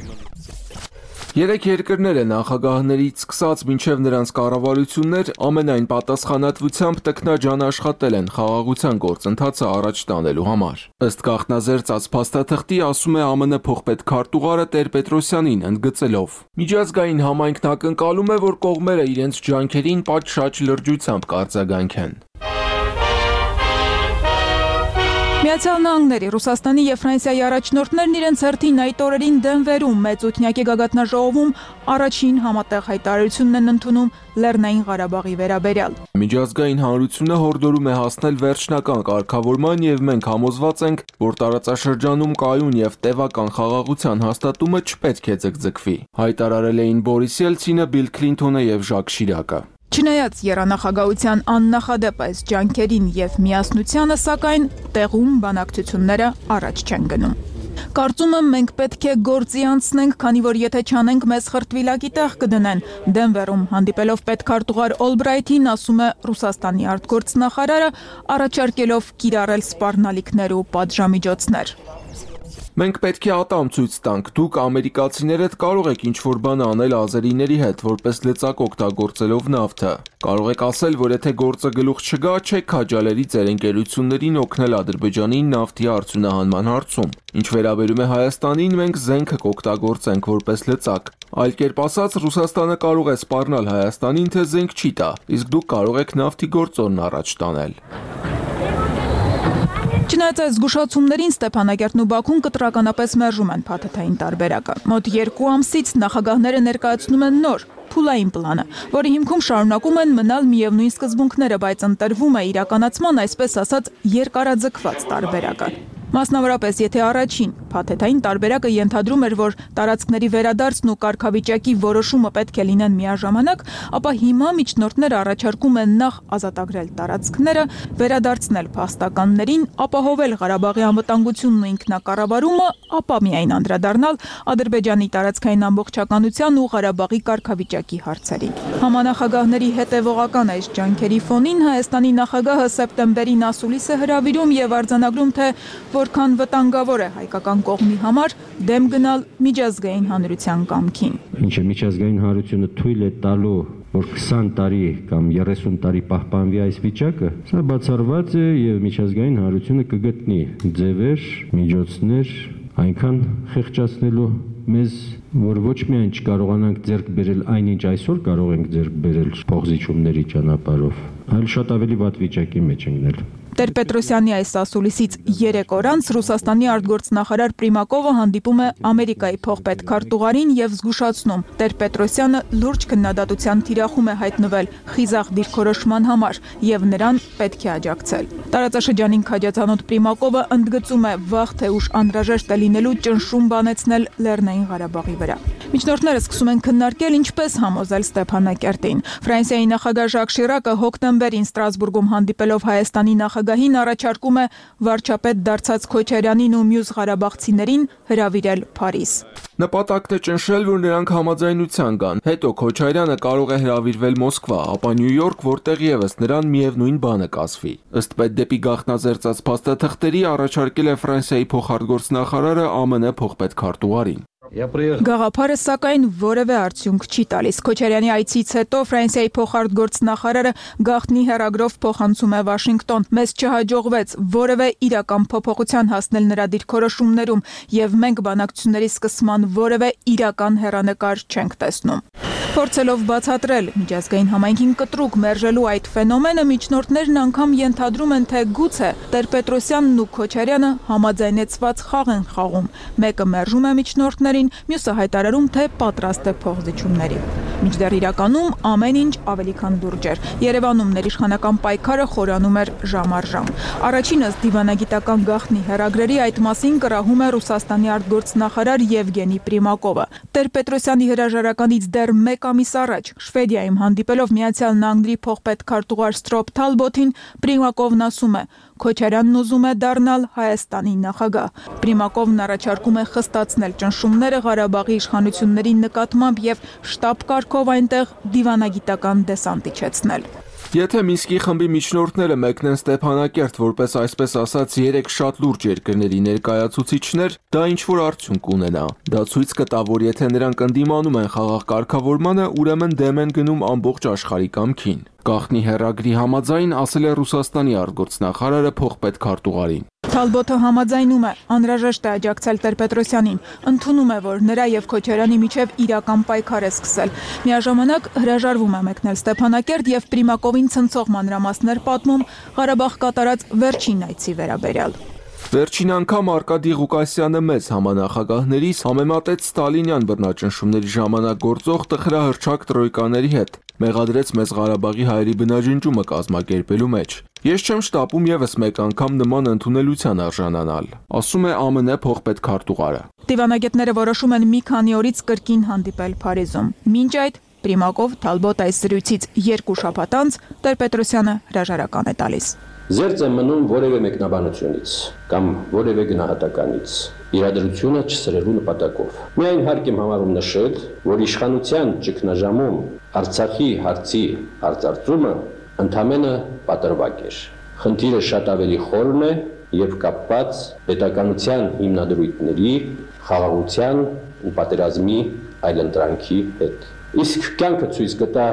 3 երկրները նախագահներից սկսած մինչև նրանց կառավարություններ ամենայն պատասխանատվությամբ տքնաջան աշխատել են խաղաղության գործընթացը առաջ տանելու համար։ Ըստ գաղտնազերծած փաստաթղթի ասում է ԱՄՆ փոխպետքարտուղարը Տեր-Պետրոսյանին ընդգծելով. Միջազգային համայնքն ակնկալում է, որ կողմերը իրենց ջանքերին պատշաճ լրջությամբ կարձագանքեն։ Միացյալ Նահանգների, Ռուսաստանի եւ Ֆրանսիայի առաջնորդներն իրենց հերթին այդ օրերին Դենվերում մեծ ութնյակի գագաթնաժողովում առաջին համատեղ հայտարարությունն են ընդունում Լեռնային Ղարաբաղի վերաբերյալ։ Միջազգային հանրությունը հորդորում է հասնել վերջնական կարգավորման եւ մենք համոզված ենք, որ տարածաշրջանում կայուն եւ տևական խաղաղության հաստատումը չպետք է ձգձգվի։ Հայտարարել էին Բորիս Ելցինը, Բիլ Քլինթոնը եւ Ժակ Շիրակը։ Չնայած եռանախագահության աննախադեպ այս ջանքերին եւ միասնությանը, սակայն տեղում բանակցությունները առաջ չեն գնում։ Կարծում եմ մենք պետք է գործի անցնենք, քանի որ եթե չանենք մեզ խրտվիլակի տեղ կդնեն։ Դենվերում հանդիպելով պետքարտուղար Օլբրայթին ասում է Ռուսաստանի արտգործնախարարը, առաջարկելով կիրառել սպառնալիքներ ու պատժամիջոցներ։ Մենք պետք է ատամ ցույց տանք, դուք ամերիկացիներդ կարող եք ինչ-որ բան անել ազերիների հետ, որպես լծակ օգտագործելով նավթը։ Կարող եք ասել, որ եթե գործը գլուխ չգա, չեք քաջալերի ձեր ընկերություններին օգնել Ադրբեջանին նավթի արդյունահանման հարցում։ Ինչ վերաբերում է Հայաստանին, մենք զենքը կօգտագործենք որպես լծակ։ Այլ կերպ ասած, Ռուսաստանը կարող է սպառնալ Հայաստանին, թե զենք չի տա, իսկ դուք կարող եք նավթի գործոնն առաջ տանել։ Չնայած այս զգուշացումներին Ստեփանակերտն ու Բաքուն կտրականապես մերժում են փաթեթային տարբերակը։ Մոտ 2 ամսից նախագահները ներկայացնում են նոր փուլային պլանը, որի հիմքում շարունակում են մնալ միևնույն սկզբունքները, բայց ընտրվում է իրականացման, այսպես ասած, երկարաձգված տարբերակը։ Մասնավորապես, եթե առաջին փաթեթային տարբերակը ենթադրում էր, որ տարածքների վերադարձն ու կարգավիճակի որոշումը պետք է լինեն միաժամանակ, ապա հիմա միջնորդները առաջարկում են նախ ազատագրել տարածքները, վերադարձնել փաստականներին, ապահովել Ղարաբաղի անվտանգությունն ու ինքնակառավարումը, ապա միայն անդրադառնալ Ադրբեջանի տարածքային ամբողջականության ու Ղարաբաղի կարգավիճակի հարցերին։ Համանախագահների հետևողական այս ջանքերի ֆոնին Հայաստանի նախագահը սեպտեմբերին ասուլիս է հրավիրում եւ արձանագրում, թե որքան վտանգավոր է հայկական կողմի համար դեմ գնալ միջազգային հանրության կամքին։ Ինչը միջազգային հանրությունը թույլ է տալու, որ 20 տարի կամ 30 տարի պահպանվի այս վիճակը, սա բացառված է եւ միջազգային հանրությունը կգտնի ձևեր, միջոցներ այնքան խեղճացնելու մեզ, որ ոչ միայն չկարողանանք ձեռք բերել այնինչ այսօր կարող ենք ձեռք բերել փոխզիջումների ճանապարհով, այլ շատ ավելի վատ վիճակի մեջ ընկնել։ Տեր-Պետրոսյանի այս ասուլիսից 3 օր անց Ռուսաստանի արտգործնախարար Պրիմակովը հանդիպում է Ամերիկայի փոխպետ քարտուղարին եւ զգուշացնում, Տեր-Պետրոսյանը լուրջ քննադատության թիրախում է հայտնվել խիզախ դիրքորոշման համար եւ նրան պետք է աջակցել։ Տարածաշրջանին քաջացանոթ Պրիմակովը ընդգծում է վաղ թե ուշ անհրաժեշտ է լինելու ճնշում բանեցնել Լեռնային Ղարաբաղի վրա։ Միջնորդները սկսում են քննարկել ինչպես համոզել Ստեփանակերտին։ Ֆրանսիայի նախագահ Ժակ Շիրակը հոկտեմբերին Ստրասբուրգում հանդիպելով Հայաստանի նախագահին առաջարկում է վարչապետ դարձած Քոչարյանին ու մյուս ղարաբաղցիներին հրավիրել Փարիզ։ Նպատակն է ճնշել, որ նրանք համաձայնության գան։ Հետո Քոչարյանը կարող է հրավիրվել Մոսկվա, ապա Նյու Յորք, որտեղ եւս նրան միևնույն բանը կասվի։ Ըստ պետդեպի գաղտնազերծած փաստաթղթերի առաջարկել է Ֆրանսիայի փոխարտգործնախարարը ԱՄՆ փոխպետ քարտուղարին։ Գաղափարը սակայն որևէ արդյունք չի տալիս։ Քոչարյանի այցից հետո Ֆրանսիայի փոխարտգործնախարարը գաղտնի հեռագրով փոխանցում է Վաշինգտոն։ Մեզ չհաջողվեց որևէ իրական փոփոխության հասնել նրա դիրքորոշումներում եւ մենք բանակցությունների սկսման որևէ իրական հեռանկար չենք տեսնում։ Փորձելով բացատրել միջազգային համայնքին կտրուկ մերժելու այդ ֆենոմենը, միջնորդներն անգամ ենթադրում են, թե գուցե Տեր-Պետրոսյանն ու Քոչարյանը համաձայնեցված խաղ են խաղում։ Մեկը մերժում է միջնորդներին, մյուսը հայտարարում, թե պատրաստ է փոխզիջումների։ Մինչդեռ իրականում ամեն ինչ ավելի քան լուրջ էր։ Երևանում ներիշխանական պայքարը խորանում էր ժամ առ ժամ։ Առաջինս դիվանագիտական գաղտնի հեռագրերի այդ մասին կռահում է Ռուսաստանի արտգործնախարար Եվգենի Պրիմակովը։ Տեր-Պետրոսյանի հրաժարականից դեռ 1 ամիս առաջ Շվեդիայում հանդիպելով Միացյալ Նահանգների փոխպետ քարտուղար Ստրոփ Թալբոթին Պրիմակովն ասում է. Քոչարյանն ուզում է դառնալ Հայաստանի նախագահ։ Պրիմակովն առաջարկում է խստացնել ճնշումները Ղարաբաղի իշխանությունների նկատմամբ եւ շտաբ կարգով այնտեղ դիվանագիտական դեսանտ իջեցնել։ Եթե Մինսկի խմբի միջնորդները մեկնեն Ստեփանակերտ որպես այսպես ասած 3 շատ լուրջ երկրների ներկայացուցիչներ, դա ինչ-որ արդյունք ունենա։ Դա ցույց կտա, որ եթե նրանք ընդդիմանում են խաղաղ կարգավորմանը, ուրեմն դեմ են գնում ամբողջ աշխարհի կամքին։ Գաղտնի հեռագրի համաձայն ասել է Ռուսաստանի արտգործնախարարը փոխպետ քարտուղարին։ Թալբոթը համաձայնում է, անհրաժեշտ է աջակցել Տեր-Պետրոսյանին, ընդունում է, որ նրա եւ Քոչարյանի միջև իրական պայքար է սկսել։ Միաժամանակ հրաժարվում է մեկնել Ստեփանակերտ եւ Պրիմակովին ցնցող մանրամասներ պատմում Ղարաբաղ կատարած վերջին այցի վերաբերյալ։ Վերջին անգամ Արկադի Ղուկասյանը մեծ համանախագահներից համեմատեց Ստալինյան բռնաճնշումների ժամանակ գործող տխրահռչակ տրոյկաների հետ, մեղադրեց մեծ Ղարաբաղի հայերի բնաջնջումը կազմակերպելու մեջ։ Ես չեմ շտապում եւս մեկ անգամ նման ընդունելության արժանանալ, ասում է ԱՄՆ փոխպետ քարտուղարը։ Դիվանագետները որոշում են մի քանի օրից կրկին հանդիպել Փարիզում։ Մինչ այդ Պրիմակով Թալբոտ այս զրույցից 2 շաբաթ անց Տեր-Պետրոսյանը հրաժարական է տալիս։ Զերծ է մնում որևէ մեկնաբանությունից կամ որևէ գնահատականից իրադրությունը չսրելու նպատակով։ Միայն հարկ եմ համարում նշել, որ իշխանության ճգնաժամում Արցախի հարցի արծարծումը ընդամենը պատրվակ էր։ Խնդիրը շատ ավելի խորն է եւ կապված պետականության հիմնադրույթների, խաղաղության ու պատերազմի այլընտրանքի հետ։ Իսկ կյանքը ցույց կտա,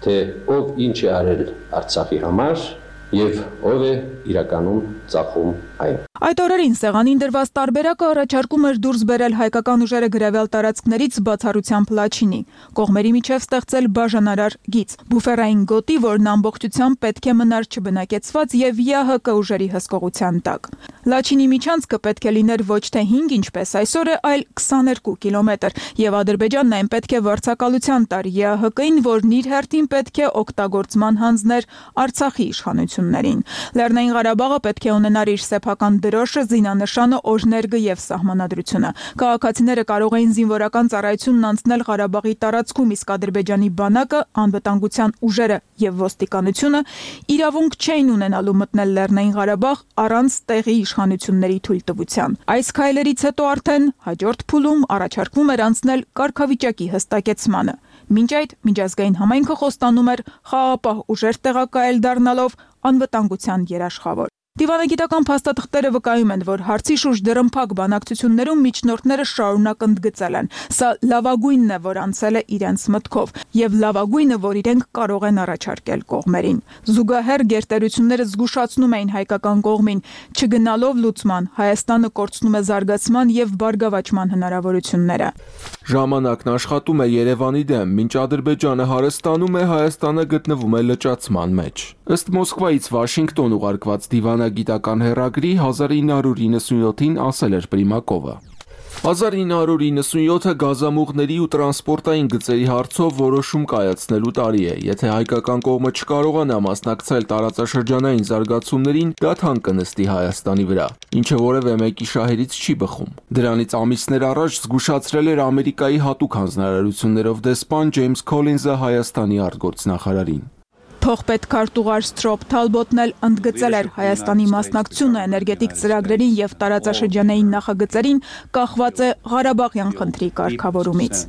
թե ով ինչ է արել Արցախի համար եւ ով է իրականում ծախում այն։ Այդ օրերին սեղանին դրված տարբերակը առաջարկում էր դուրս բերել հայկական ուժերը գրավել տարածքներից բացառությամբ Լաչինի, կողմերի միջև ստեղծել բաժանարար գիծ, բուֆերային գոտի, որն ամբողջությամբ պետք է մնար չբնակեցված եւ ԵԱՀԿ ուժերի հսկողության տակ։ Լաչինի միջանցքը պետք է լիներ ոչ թե 5, ինչպես այսօր է, այլ 22 կիլոմետր, եւ Ադրբեջանն այն պետք է վարձակալության տար ԵԱՀԿ-ին, որն իր հերթին պետք է օգտագործման հանձներ Արցախի իշխանություններին։ Լեռնային Ղարաբաղը պետք է ունենար իր սեփական դրոշը, զինանշանը, օրհներգը եւ սահմանադրությունը։ Քաղաքացիները կարող էին զինվորական ծառայությունն անցնել Ղարաբաղի տարածքում, իսկ Ադրբեջանի բանակը, անվտանգության ուժերը եւ ոստիկանությունը իրավունք չէին ունենալու մտնել Լեռնային Ղարաբաղ առանց տեղի իշխանությունների թույլտվության։ Այս քայլերից հետո արդեն հաջորդ փուլում առաջարկվում էր անցնել կարգավիճակի հստակեցմանը։ Մինչ այդ միջազգային համայնքը խոստանում էր խաղաղապահ ուժեր տեղակայել դառնալով անվտանգության երաշխավոր։ Դիվանագիտական փաստաթղթերը վկայում են, որ հարցի շուրջ դրըմփակ բանակցություններում միջնորդները շարունակ ընդգծել են. սա լավագույնն է, որ անցել է իրենց մտքով, եւ լավագույնը, որ իրենք կարող են առաջարկել կողմերին։ Զուգահեռ գերտերությունները զգուշացնում էին հայկական կողմին, չգնալով լուծման, Հայաստանը կորցնում է զարգացման եւ բարգավաճման հնարավորությունները։ Ժամանակն աշխատում է Երևանի դեմ, մինչ Ադրբեջանը հարստանում է, Հայաստանը գտնվում է լճացման մեջ։ Ըստ Մոսկվայից Վաշինգտոն ուղարկված դիվանագիտական հեռագրի 1997-ին ասել էր Պրիմակովը։ 1997-ը գազամուղների ու տրանսպորտային գծերի հարցով որոշում կայացնելու տարի է։ Եթե հայկական կողմը չկարողանա մասնակցել տարածաշրջանային զարգացումներին, դա թանկ կնստի Հայաստանի վրա, ինչը որևէ մեկի շահերից չի բխում։ Դրանից ամիսներ առաջ զգուշացրել էր Ամերիկայի հատուկ հանձնարարություններով դեսպան Ջեյմս Քոլինզը Հայաստանի արտգործնախարարին։ Փոխպետ քարտուղար Սթրոփ Թալբոտն էլ ընդգծել էր Հայաստանի մասնակցությունը էներգետիկ ծրագրերին եւ տարածաշրջանային նախագծերին կախված է Ղարաբաղյան խնդրի կարգավորումից։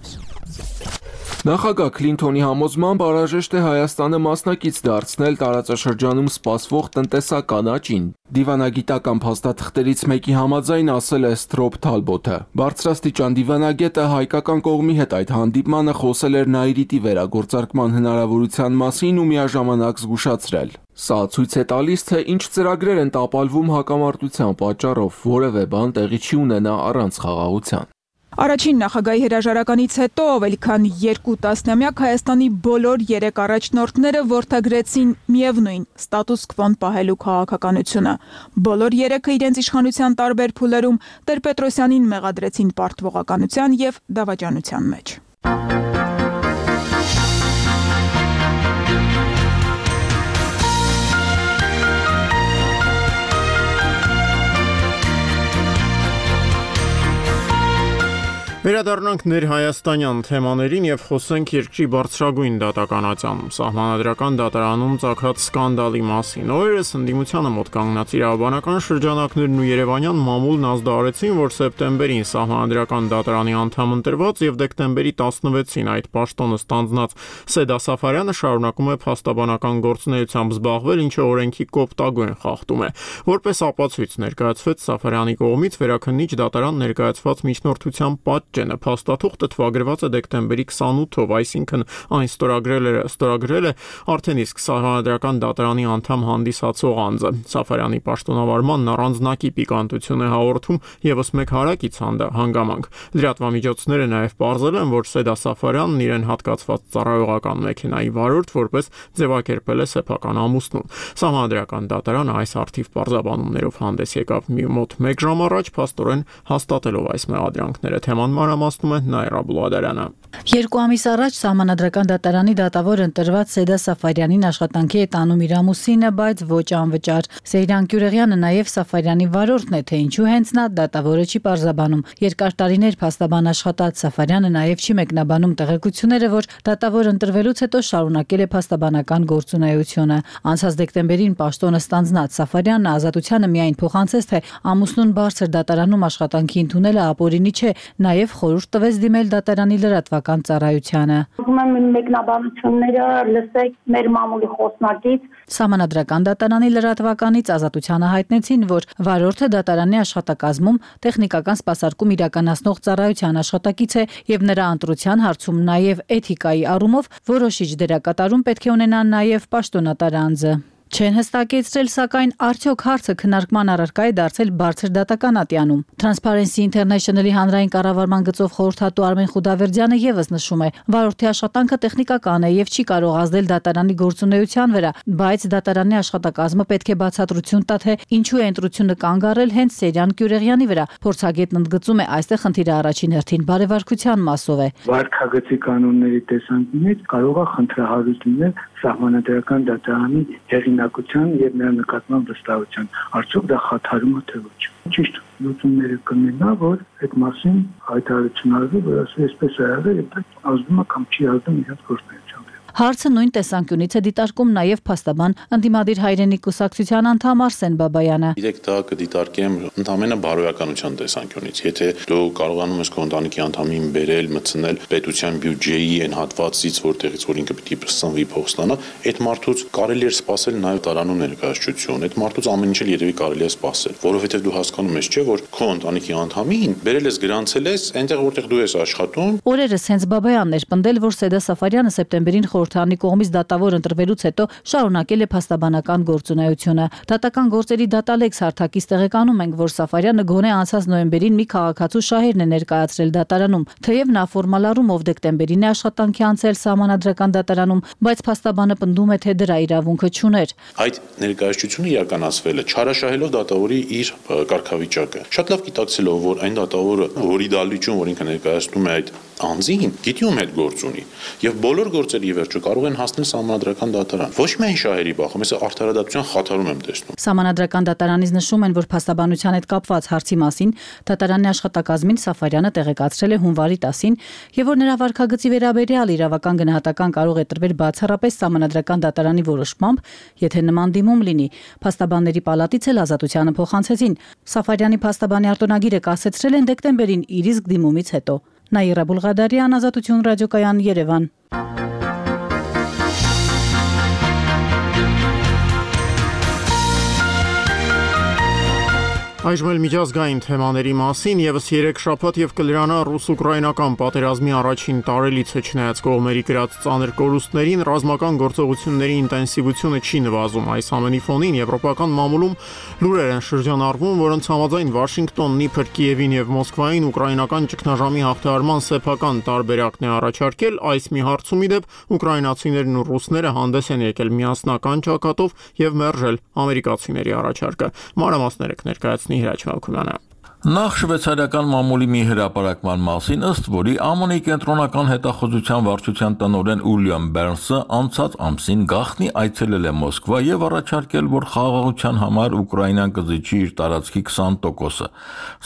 Նախագահ Քլինթոնի համոզմամբ անհրաժեշտ է Հայաստանը մասնակից դարձնել տարածաշրջանում սպասվող տնտեսական աճին։ Դիվանագիտական փաստաթղթերից մեկի համաձայն ասել է Սթրոփ Թալբոտը։ Բարձրաստիճան դիվանագետը հայկական կողմի հետ այդ հանդիպմանը խոսել էր Նայիրիտի վերագործարկման հնարավորության մասին ու միաժամանակ զգուշացրել. Սա ցույց է տալիս, թե ինչ ծրագրեր են տապալվում հակամարտության պատճառով, որևէ բան տեղի չի ունենա առանց խաղաղության։ Առաջին նախագահի հրաժարականից հետո ավելի քան 2 տասնամյակ Հայաստանի բոլոր 3 առաջնորդները որդեգրեցին միևնույն ստատուս քվոն պահելու քաղաքականությունը։ Բոլոր 3-ը իրենց իշխանության տարբեր փուլերում Տեր-Պետրոսյանին մեղադրեցին պարտվողականության եւ դավաճանության մեջ։ Վերադառնանք ներհայաստանյան թեմաներին եւ խոսենք երկրի բարձրագույն դատականատյանում սահմանադրական դատարանում ծագած սկանդալի մասին։ Օրերս ընդդիմությանը մոտ կանգնած իրավաբանական շրջանակներն ու Երևանյան մամուլն ազդարարեցին, որ սեպտեմբերին սահմանադրական դատարանի անդամ ընտրված եւ դեկտեմբերի 16-ին այդ պաշտոնը ստանձնած Սեդա Սաֆարյանը շարունակում է փաստաբանական գործունեությամբ զբաղվել, ինչը օրենքի կոպտագույն խախտում է։ Որպես ապացույց ներկայացվեց Սաֆարյանի կողմից վերաքննիչ դատարան ներկայացված միջնորդության պատճենը։ Փաստաթուղթը թվագրված է դեկտեմբերի 28-ով, այսինքն այն ստորագրել է արդեն իսկ սահմանադրական դատարանի անդամ հանդիսացող անձը։ Սաֆարյանի պաշտոնավարմանն առանձնակի պիկանտություն է հաղորդում եւս մեկ հարակից հանգամանք։ Լրատվամիջոցները նաեւ պարզել են, որ Սեդա Սաֆարյանն իրեն հատկացված ծառայողական մեքենայի վարորդ որպես ձևակերպել է սեփական ամուսնուն։ Սահմանադրական դատարանը այս արդիվ պարզաբանումներով հանդես եկավ մոտ 1 ժամ առաջ, փաստորեն հաստատելով այս մեղադրանքները։ Թեման մանրամասնում է Նաիրա Բուլադարյանը։ 2 ամիս առաջ սահմանադրական դատարանի դատավոր ընտրված Սեդա Սաֆարյանին աշխատանքի է տանում իր ամուսինը, բայց ոչ անվճար։ Սեյրան Գյուրեղյանը նաև Սաֆարյանի վարորդն է, թե ինչու հենց նա, դատավորը չի պարզաբանում։ Երկար տարիներ փաստաբան աշխատած Սաֆարյանը նաև չի մեկնաբանում տեղեկությունները, որ դատավոր ընտրվելուց հետո շարունակել է փաստաբանական գործունեությունը։ Անցած դեկտեմբերին պաշտոնը ստանձնած Սաֆարյանն ազատությանը միայն փոխանցեց, թե ամուսնուն բարձր դատարանում աշխատանքի ընդունելը ապօրինի չէ, նաև եւ խորհուրդ տվեց դիմել դատարանի լրատվական ծառայությանը։ Ուզում եմ մեկնաբանությունները լսեք մեր մամուլի խոսնակից։ Սահմանադրական դատարանի լրատվականից Ազատությանը հայտնեցին, որ վարորդը դատարանի աշխատակազմում տեխնիկական սպասարկում իրականացնող ծառայության աշխատակից է եւ նրա ընտրության հարցում նաեւ էթիկայի առումով որոշիչ դերակատարում պետք է ունենա նաեւ պաշտոնատար անձը։ Չեն հստակեցրել, սակայն արդյոք հարցը քննարկման առարկա է դարձել բարձր դատական ատյանում։ Transparency International-ի հանրային կառավարման գծով խորհրդատու Արմեն Խուդավերդյանը եւս նշում է, վարորդի աշխատանքը տեխնիկական է եւ չի կարող ազդել դատարանի գործունեության վրա, բայց դատարանի աշխատակազմը պետք է բացատրություն տա, թե ինչու է ընտրությունը կանգ առել հենց Սերյան Կյուրեղյանի վրա։ Փորձագետն ընդգծում է, այստեղ խնդիրը առաջին հերթին բարեվարկության մասով է։ Վարքագծի կանոնների տեսանկյունից կարող է խնդրահարույց լինել սահմանադրական դատարանի հեղինակության եւ նրա նկատմամբ վստահության։ Արդյոք դա խաթարում է թե ոչ։ Ճիշտ լուծումները կմնա, որ այդ մասին հայտարարություն արվի, որ այսպես է եղել եւ դա ազդում է կամ չի ազդում իրաց գործունեության։ Հարցը նույն տեսանկյունից է դիտարկում նաև փաստաբան ընդդիմադիր հայրենի կուսակցության անդամ Արսեն Բաբայանը։ Իրեք դա կդիտարկեմ ընդամենը բարոյականության տեսանկյունից։ Եթե դու կարողանում ես քո ընտանիքի անդամին բերել, մտցնել պետության բյուջեի այն հատվածից, որտեղից որ ինքը պիտի սնվի փող ստանա, այդ մարդուց կարելի է սպասել նաև տարանու ներկայացություն։ Այդ մարդուց ամեն ինչ էլ երևի կարելի է սպասել, որովհետև դու հասկանում ես, չէ, որ քո ընտանիքի անդամին բերել ես, գրանցել ես, այնտեղ որտեղ դու ես աշխատում։ Օրերս հենց Բաբայանն էր պնդել, որ Սեդա Սաֆարյանը սեպտեմբերին խորհրդարանի կողմից դատավոր ընտրվելուց հետո շարունակել է փաստաբանական գործունեությունը։ Դատական գործերի դատալեքս հարթակից տեղեկանում ենք, որ Սաֆարյանը գոնե անցած նոյեմբերին մի քաղաքացու շահերն է ներկայացրել դատարանում, թեև նա ֆորմալ առումով դեկտեմբերին է աշխատանքի անցել սահմանադրական դատարանում, բայց փաստաբանը պնդում է, թե դրա իրավունքը չուներ։ Այդ ներկայացությունը իրականացվել է չարաշահելով դատավորի իր կարգավիճակը։ Շատ լավ գիտակցելով, որ այն դատավորը, որի դալիճում, որ ինքը ներկայացնում է այդ անձին, գիտի ում հետ գործ ունի, եւ բոլոր գործերի վերջը կարող են հասնել սահմանադրական դատարան։ Ոչ միայն շահերի բախում, ես արդարադատության խաթարում եմ տեսնում։ Սահմանադրական դատարանից նշում են, որ փաստաբանության հետ կապված հարցի մասին դատարանի աշխատակազմին Սաֆարյանը տեղեկացրել է հունվարի 10-ին եւ որ նրա վարքագծի վերաբերյալ իրավական գնահատական կարող է տրվել բացառապես սահմանադրական դատարանի որոշմամբ, եթե նման դիմում լինի։ Փաստաբանների պալատից էլ Ազատությանը փոխանցեցին։ Սաֆարյանի փաստաբանի արտոնագիրը կասեցրել են դեկտեմբերին իր իսկ դիմումից հետո։ Նաիրա Բուլղադարյան, Ազատություն ռադիոկայան, Երևան։ Այժմ էլ միջազգային թեմաների մասին եւս 3 շաբաթ եւ կլրանա ռուս-ուկրաինական պատերազմի առաջին տարելիցը չնայած կողմերի գրած ծանր կորուստներին ռազմական գործողությունների ինտենսիվությունը չի նվազում։ Այս ամենի ֆոնին եվրոպական մամուլում լուրեր են շրջանառվում, որոնց համաձայն Վաշինգտոնն իբր Կիևին եւ Մոսկվային ուկրաինական ճգնաժամի հաղթահարման սեփական տարբերակն է առաջարկել, այս մի հարցում իդեպ ուկրաինացիներն ու ռուսները հանդես են եկել միասնական ճակատով եւ մերժել ամերիկացիների առաջարկը։ Մանրամասները կներկայացնի Հրաչ Մալքումյանը։ Նախ շվեյցարիական մամուլի մի հրապարակման մասին, ըստ որի ԱՄՆ-ի կենտրոնական հետախուզության վարչության տնօրեն Ուիլյամ Բերնսը անցած ամսին գաղտնի այցելել է Մոսկվա եւ առաջարկել, որ խաղաղության համար Ուկրաինան կզիջի իր տարածքի 20%-ը։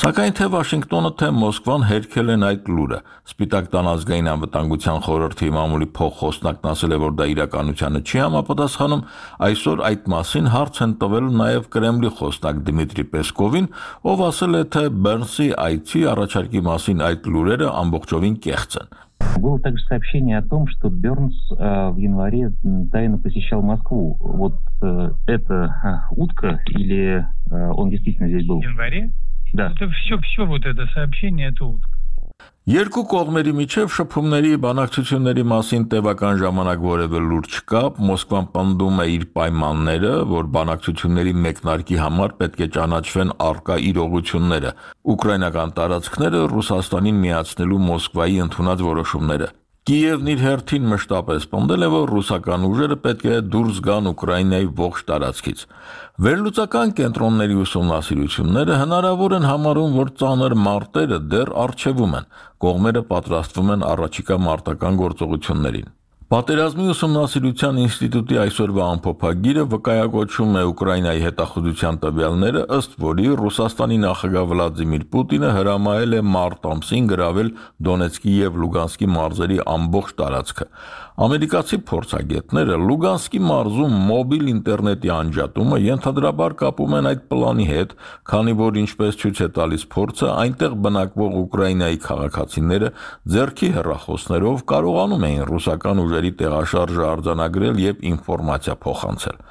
Սակայն թե Վաշինգտոնը, թե Մոսկվան հերքել են այդ լուրը։ Սպիտակ տան ազգային անվտանգության խորհրդի մամուլի փոխխոսնակն ասել է, որ դա իրականությանը չի համապատասխանում։ Այսօր այդ մասին հարց են տվել նաեւ Կրեմլի խոսնակ Դմիտրի Պեսկովին, ով ասել է, թե Բերնսի այցի առաջարկի մասին այդ լուրերը ամբողջովին կեղծ են։ Было также сообщение о том, что Бернс в январе тайно посещал Москву. Вот это утка или он действительно здесь был? В январе? Да. Это все вот это сообщение, это утка. Երկու կողմերի միջև շփումների բանակցությունների մասին տևական ժամանակ որևէ լուր չկա, Մոսկվան պնդում է իր պայմանները, որ բանակցությունների մեկնարկի համար պետք է ճանաչվեն առկա իրողությունները, ուկրաինական տարածքները Ռուսաստանին միացնելու Մոսկվայի ընդունած որոշումները։ Կիևն իր հերթին մշտապես պնդել է, որ ռուսական ուժերը պետք է դուրս գան Ուկրաինայի ողջ տարածքից։ Վերլուծական կենտրոնների ուսումնասիրությունները հնարավոր են համարում, որ ծանր մարտերը դեռ առջևում են, կողմերը պատրաստվում են առաջիկա մարտական գործողություններին։ Պատերազմի ուսումնասիրության ինստիտուտի այսօրվա ամփոփագիրը վկայակոչում է Ուկրաինայի հետախուզության տվյալները, ըստ որի Ռուսաստանի նախագահ Վլադիմիր Պուտինը հրամայել է մարտ ամսին գրավել Դոնեցկի եւ Լուգանսկի մարզերի ամբողջ տարածքը։ Ամերիկացի փորձագետները Լուգանսկի մարզում մոբիլ ինտերնետի անջատումը ենթադրաբար կապում են այդ պլանի հետ, քանի որ ինչպես ցույց է տալիս փորձը, այնտեղ բնակվող Ուկրաինայի քաղաքացիները ձեռքի հեռախոսներով կարողանում էին ռուսական ուժերի տեղաշարժը արձանագրել եւ ինֆորմացիա փոխանցել։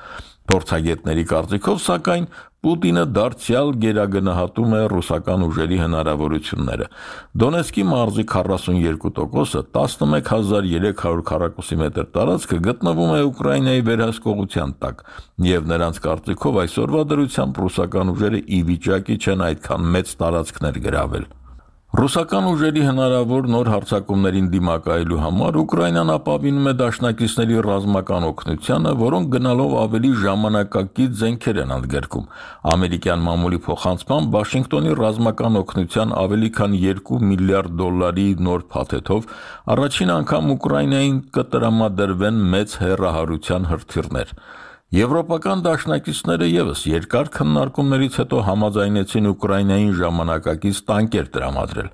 Փորձագետների կարծիքով, սակայն, Պուտինը դարձյալ գերագնահատում է ռուսական ուժերի հնարավորությունները։ Դոնեցկի մարզի 42%-ը 11300 քառակուսի մետր տարածքը գտնվում է Ուկրաինայի վերահսկողության տակ, եւ նրանց կարծիքով այսօրվա դրությամբ ռուսական ուժերը ի վիճակի չեն այդքան մեծ տարածքներ գրավել։ Ռուսական ուժերի հնարավոր նոր հարձակումներին դիմակայելու համար Ուկրաինան ապավինում է դաշնակիցների ռազմական օգնությանը, որոնք գնալով ավելի ժամանակակից զենքեր են ընդգրկում։ Ամերիկյան մամուլի փոխանցմամբ Վաշինգտոնի ռազմական օգնության ավելի քան $2 միլիարդ նոր փաթեթով առաջին անգամ Ուկրաինային կտրամադրվեն մեծ հեռահարության հրթիռներ։ Եվրոպական դաշնակիցները եւս երկար քննարկումներից հետո համաձայնեցին Ուկրաինային ժամանակակից տանկեր տրամադրել։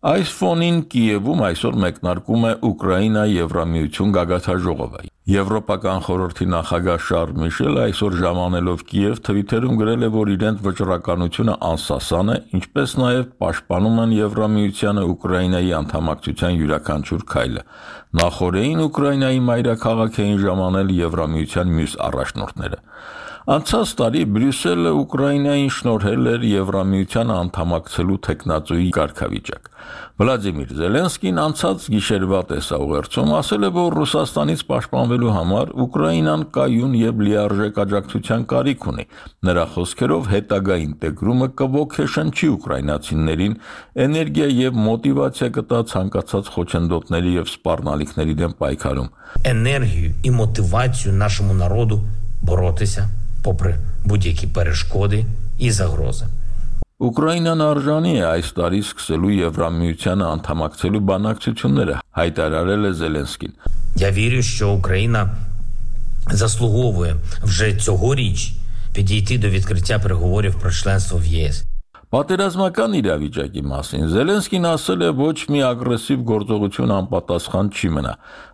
Այս ֆոնին Կիևում այսօր մեկնարկում է Ուկրաինա-Եվրամիություն գագաթաժողովը։ Եվրոպական խորհրդի նախագահ Շարլ Միշելը այսօր ժամանելով Կիև թվիթերում գրել է, որ իրենց վճռականությունը անսասան է, ինչպես նաև պաշտպանում են Եվրամիությանը Ուկրաինայի անդամակցության յուրաքանչյուր քայլը։ Նախորդին Ուկրաինայի մայրաքաղաք էին ժամանել Եվրամիության մյուս առաջնորդները։ Անցած տարի Բրյուսելը Ուկրաինային շնորհել էր Եվրամիությանը անդամակցելու թեկնածուի կարգավիճակ։ Վլադիմիր Զելենսկին անցած գիշերվա տեսաուղերձում ասել է, որ Ռուսաստանից պաշտպանվելու համար Ուկրաինան կայուն եւ լիարժեք աջակցության կարիք ունի։ Նրա խոսքերով հետագա ինտեգրումը կոգեշնչի ուկրաինացիներին, էներգիա եւ մոտիվացիա կտա ցանկացած խոչընդոտների եւ սպառնալիքների դեմ պայքարում։ Енергію і мотивацію нашому народу боротися попри будь-які перешкоди і загрози. Ուկրաինան արժանի է այս տարի սկսելու Եվրամիությանը անդամակցելու բանակցությունները, հայտարարել է Զելենսկին։ Я вірю, що Україна заслуговує вже цьогоріч підійти до відкриття переговорів про членство в ЄС. Պատերազմական իրավիճակի մասին Զելենսկին ասել է, ոչ մի ագրեսիվ գործողություն անպատասխան չի մնա։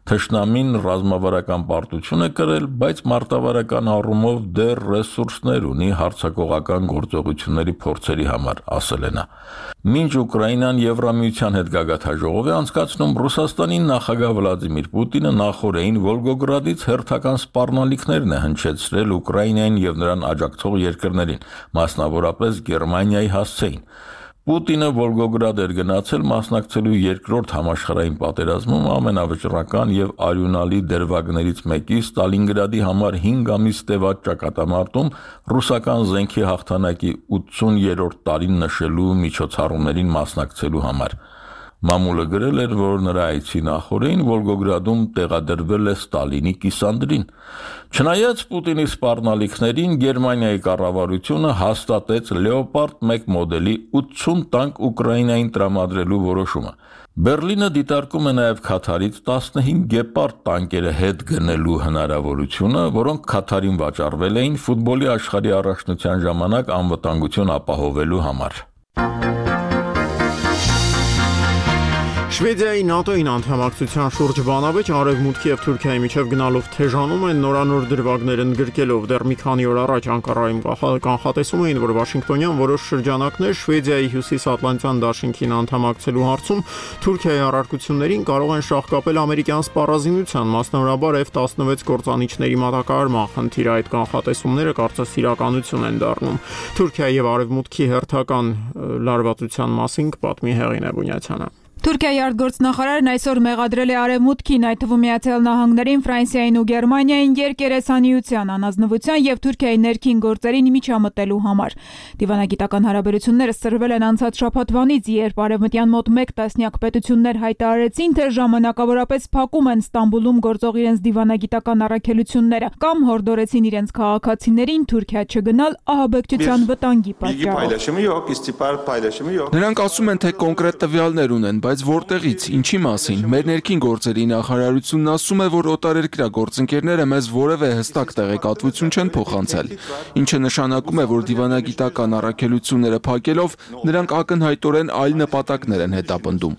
Թշնամին ռազմավարական պարտություն է կրել, բայց մարտավարական առումով դեռ ռեսուրսներ ունի հարձակողական գործողությունների փորձերի համար, ասել է նա։ Մինչ Ուկրաինան Եվրամիության հետ գագաթաժողով է անցկացնում, Ռուսաստանի նախագահ Վլադիմիր Պուտինը նախորդին Վոլգոգրադից հերթական սպառնալիքներն է հնչեցրել Ուկրաինային եւ նրան աջակցող երկրներին, մասնավորապես Գերմանիայի հասցեին։ Պուտինը Վոլգոգրադ էր գնացել մասնակցելու երկրորդ համաշխարհային պատերազմում ամենավճռական եւ արյունալի դերվագներից մեկի Ստալինգրադի համար 5 ամիս տևած ճակատամարտում ռուսական զենքի հաղթանակի 80-րդ տարին նշելու միջոցառումներին մասնակցելու համար։ Մամուլը գրել էր, որ նրա այցի նախորդին Վոլգոգրադում տեղադրվել է Ստալինի կիսանդրին։ Չնայած Պուտինի սպառնալիքներին, Գերմանիայի կառավարությունը հաստատեց Լեոպարդ 1 մոդելի 80 տանկ Ուկրաինային տրամադրելու որոշումը։ Բերլինը դիտարկում է նաև Քաթարից 15 Գեպարդ տանկերը հետ գնելու հնարավորությունը, որոնք Քաթարին վաճառվել էին ֆուտբոլի աշխարհի առաջնության ժամանակ անվտանգություն ապահովելու համար։ Շվեդիայի ՆԱՏՕ-ին անդամակցության շուրջ բանավեճ Արևմուտքի եւ Թուրքիայի միջև գնալով թեժանում են նորանոր դրվագներ ընդգրկելով դեռ մի քանի օր առաջ Անկարայում կանխատեսում էին, որ Վաշինգտոնյան որոշ շրջանակներ Շվեդիայի հյուսիսատլանտյան դաշինքին անդամակցելու հարցում Թուրքիայի առարկություններին կարող են շահկապել ամերիկյան սպառազինության, մասնավորաբար F-16 կործանիչների մատակարարման խնդիրը։ Այդ կանխատեսումները կարծես իրականություն են դառնում։ Թուրքիայի եւ Արևմուտքի հերթական լարվածության մասին կպատմի Հեղինե Բունյացյանը։ Թուրքիայի արտգործնախարարն այսօր մեղադրել է Արևմուտքին, այդ թվում Միացյալ Նահանգներին, Ֆրանսիային ու Գերմանիային երկերեսանիության, անազնվության եւ Թուրքիայի ներքին գործերին միջամտելու համար։ Դիվանագիտական հարաբերությունները սրվել են անցած շաբաթվանից, երբ Արևմտյան մոտ 1 տասնյակ պետություններ հայտարարեցին, թե ժամանակավորապես փակում են Ստամբուլում գործող իրենց դիվանագիտական առաքելությունները կամ հորդորեցին իրենց քաղաքացիներին Թուրքիա չգնալ ահաբեկչության վտանգի պատճառով։ Նրանք ասում են, թե կոնկրետ տվյալներ ունեն, բայց որտեղից, ինչի մասին։ Մեր ներքին գործերի նախարարությունն ասում է, որ օտարերկրյա գործընկերները մեզ որևէ հստակ տեղեկատվություն չեն փոխանցել, ինչը նշանակում է, որ դիվանագիտական առաքելությունները փակելով նրանք ակնհայտորեն այլ նպատակներ են հետապնդում։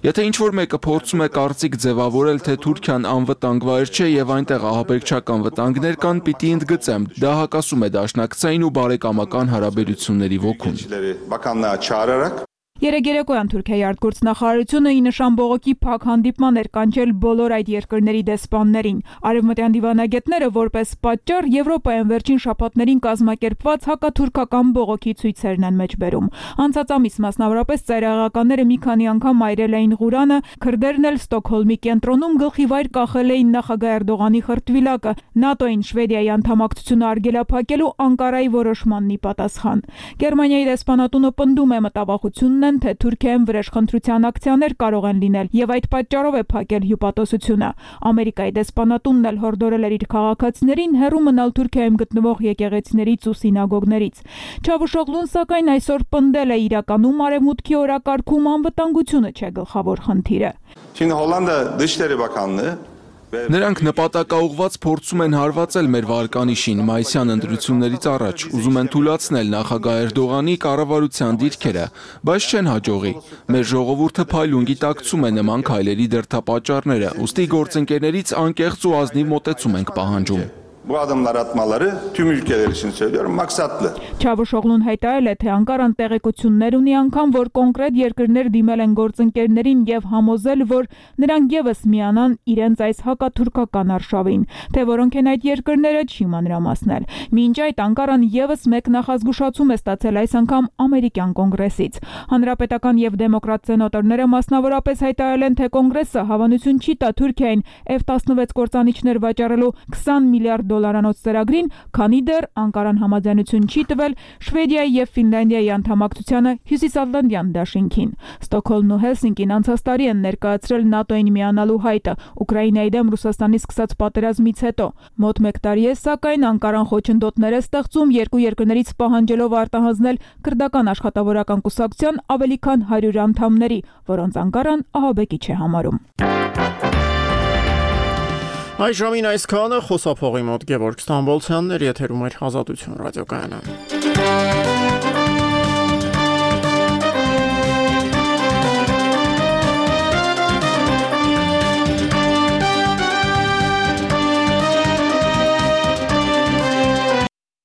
Եթե ինչ-որ մեկը փորձում է կարծիք ձևավորել, թե Թուրքիան անվտանգ վայր չէ եւ այնտեղ ահաբեկչական վտանգներ կան, պիտի ընդգծեմ, դա հակասում է դաշնակցային ու բարեկամական հարաբերությունների ոգուն։ Երեկոյան Թուրքիայի արտգործնախարարությունը ի նշան բողոքի փակ հանդիպման էր կանչել բոլոր այդ երկրների դեսպաններին։ Արևմտյան դիվանագետները որպես պատճառ Եվրոպայում վերջին շաբաթներին կազմակերպված հակաթուրքական բողոքի ցույցերն են մեջբերում։ Անցած ամիս մասնավորապես ծայրահեղականները մի քանի անգամ այրել էին Ղուրանը, քրդերն էլ Ստոկհոլմի կենտրոնում գլխի վայր կախել էին նախագահ Էրդողանի խրտվիլակը, ՆԱՏՕ-ին Շվեդիայի անդամակցությունը արգելափակելու Անկարայի որոշմանն ի պատասխան։ Գերմանիայի դեսպանատունը պնդում է մտավախությունն թե Թուրքիայում վրեժխնդրության ակցիաներ կարող են լինել եւ այդ պատճառով է փակել հյուպատոսությունը։ Ամերիկայի դեսպանատունն էլ հորդորել էր իր քաղաքացիներին հեռու մնալ Թուրքիայում գտնվող եկեղեցիներից ու սինագոգներից։ Չավուշօղլուն սակայն այսօր պնդել է իրականում արևմուտքի օրակարգում անվտանգությունը չէ գլխավոր խնդիրը։ Նրանք նպատակաուղված փորձում են հարվածել մեր վարկանիշին մայիսյան ընտրություններից առաջ, ուզում են թույլատրել նախագահ Էրդողանի կառավարության դիրքերը, բայց չեն հաջողի։ Մեր ժողովուրդը փայլուն գիտակցում է նման քայլերի դրդապատճառները, ուստի գործընկերներից անկեղծ ու ազնիվ մոտեցում ենք պահանջում։ Bu adımlar atmaları tüm ülkeler için söylüyorum maksatlı. Չավուշօղլուն հայտարարել է, թե Անկարան տեղեկություններ ունի անգամ, որ կոնկրետ երկրներ դիմել են գործընկերներին եւ համոզել, որ նրանք եւս միանան իրենց այս հակաթուրքական արշավին, թե որոնք են այդ երկրները չի մանրամասնել։ Մինչ այդ Անկարան եւս մեկ նախազգուշացում է ստացել այս անգամ ամերիկյան կոնգրեսից։ Հանրապետական եւ դեմոկրատ սենատորները մասնավորապես հայտարարել են, թե կոնգրեսը հավանություն չի տա Թուրքիային F-16 կործանիչներ վաճառելու 20 միլիարդ դոլարանոց ծրագրին, քանի դեռ Անկարան համաձայնություն չի տվել Շվեդիայի եւ Ֆինլանդիայի անդամակցությանը Հյուսիսատլանտյան դաշինքին։ Ստոկհոլմն ու Հելսինկին անցած տարի են ներկայացրել ՆԱՏՕ-ին միանալու հայտը Ուկրաինայի դեմ Ռուսաստանի սկսած պատերազմից հետո։ Մոտ 1 տարի է, սակայն Անկարան խոչընդոտներ է ստեղծում երկու երկրներից պահանջելով արտահանձնել քրդական աշխատավորական կուսակցության ավելի քան 100 անդամների, որոնց Անկարան ահաբեկիչ է համարում։ Այս ժամին այսքանը խոսափողի մոտ Գևորգ Ստամբոլցյանն էր, եթերում էր Ազատություն ռադիոկայանը։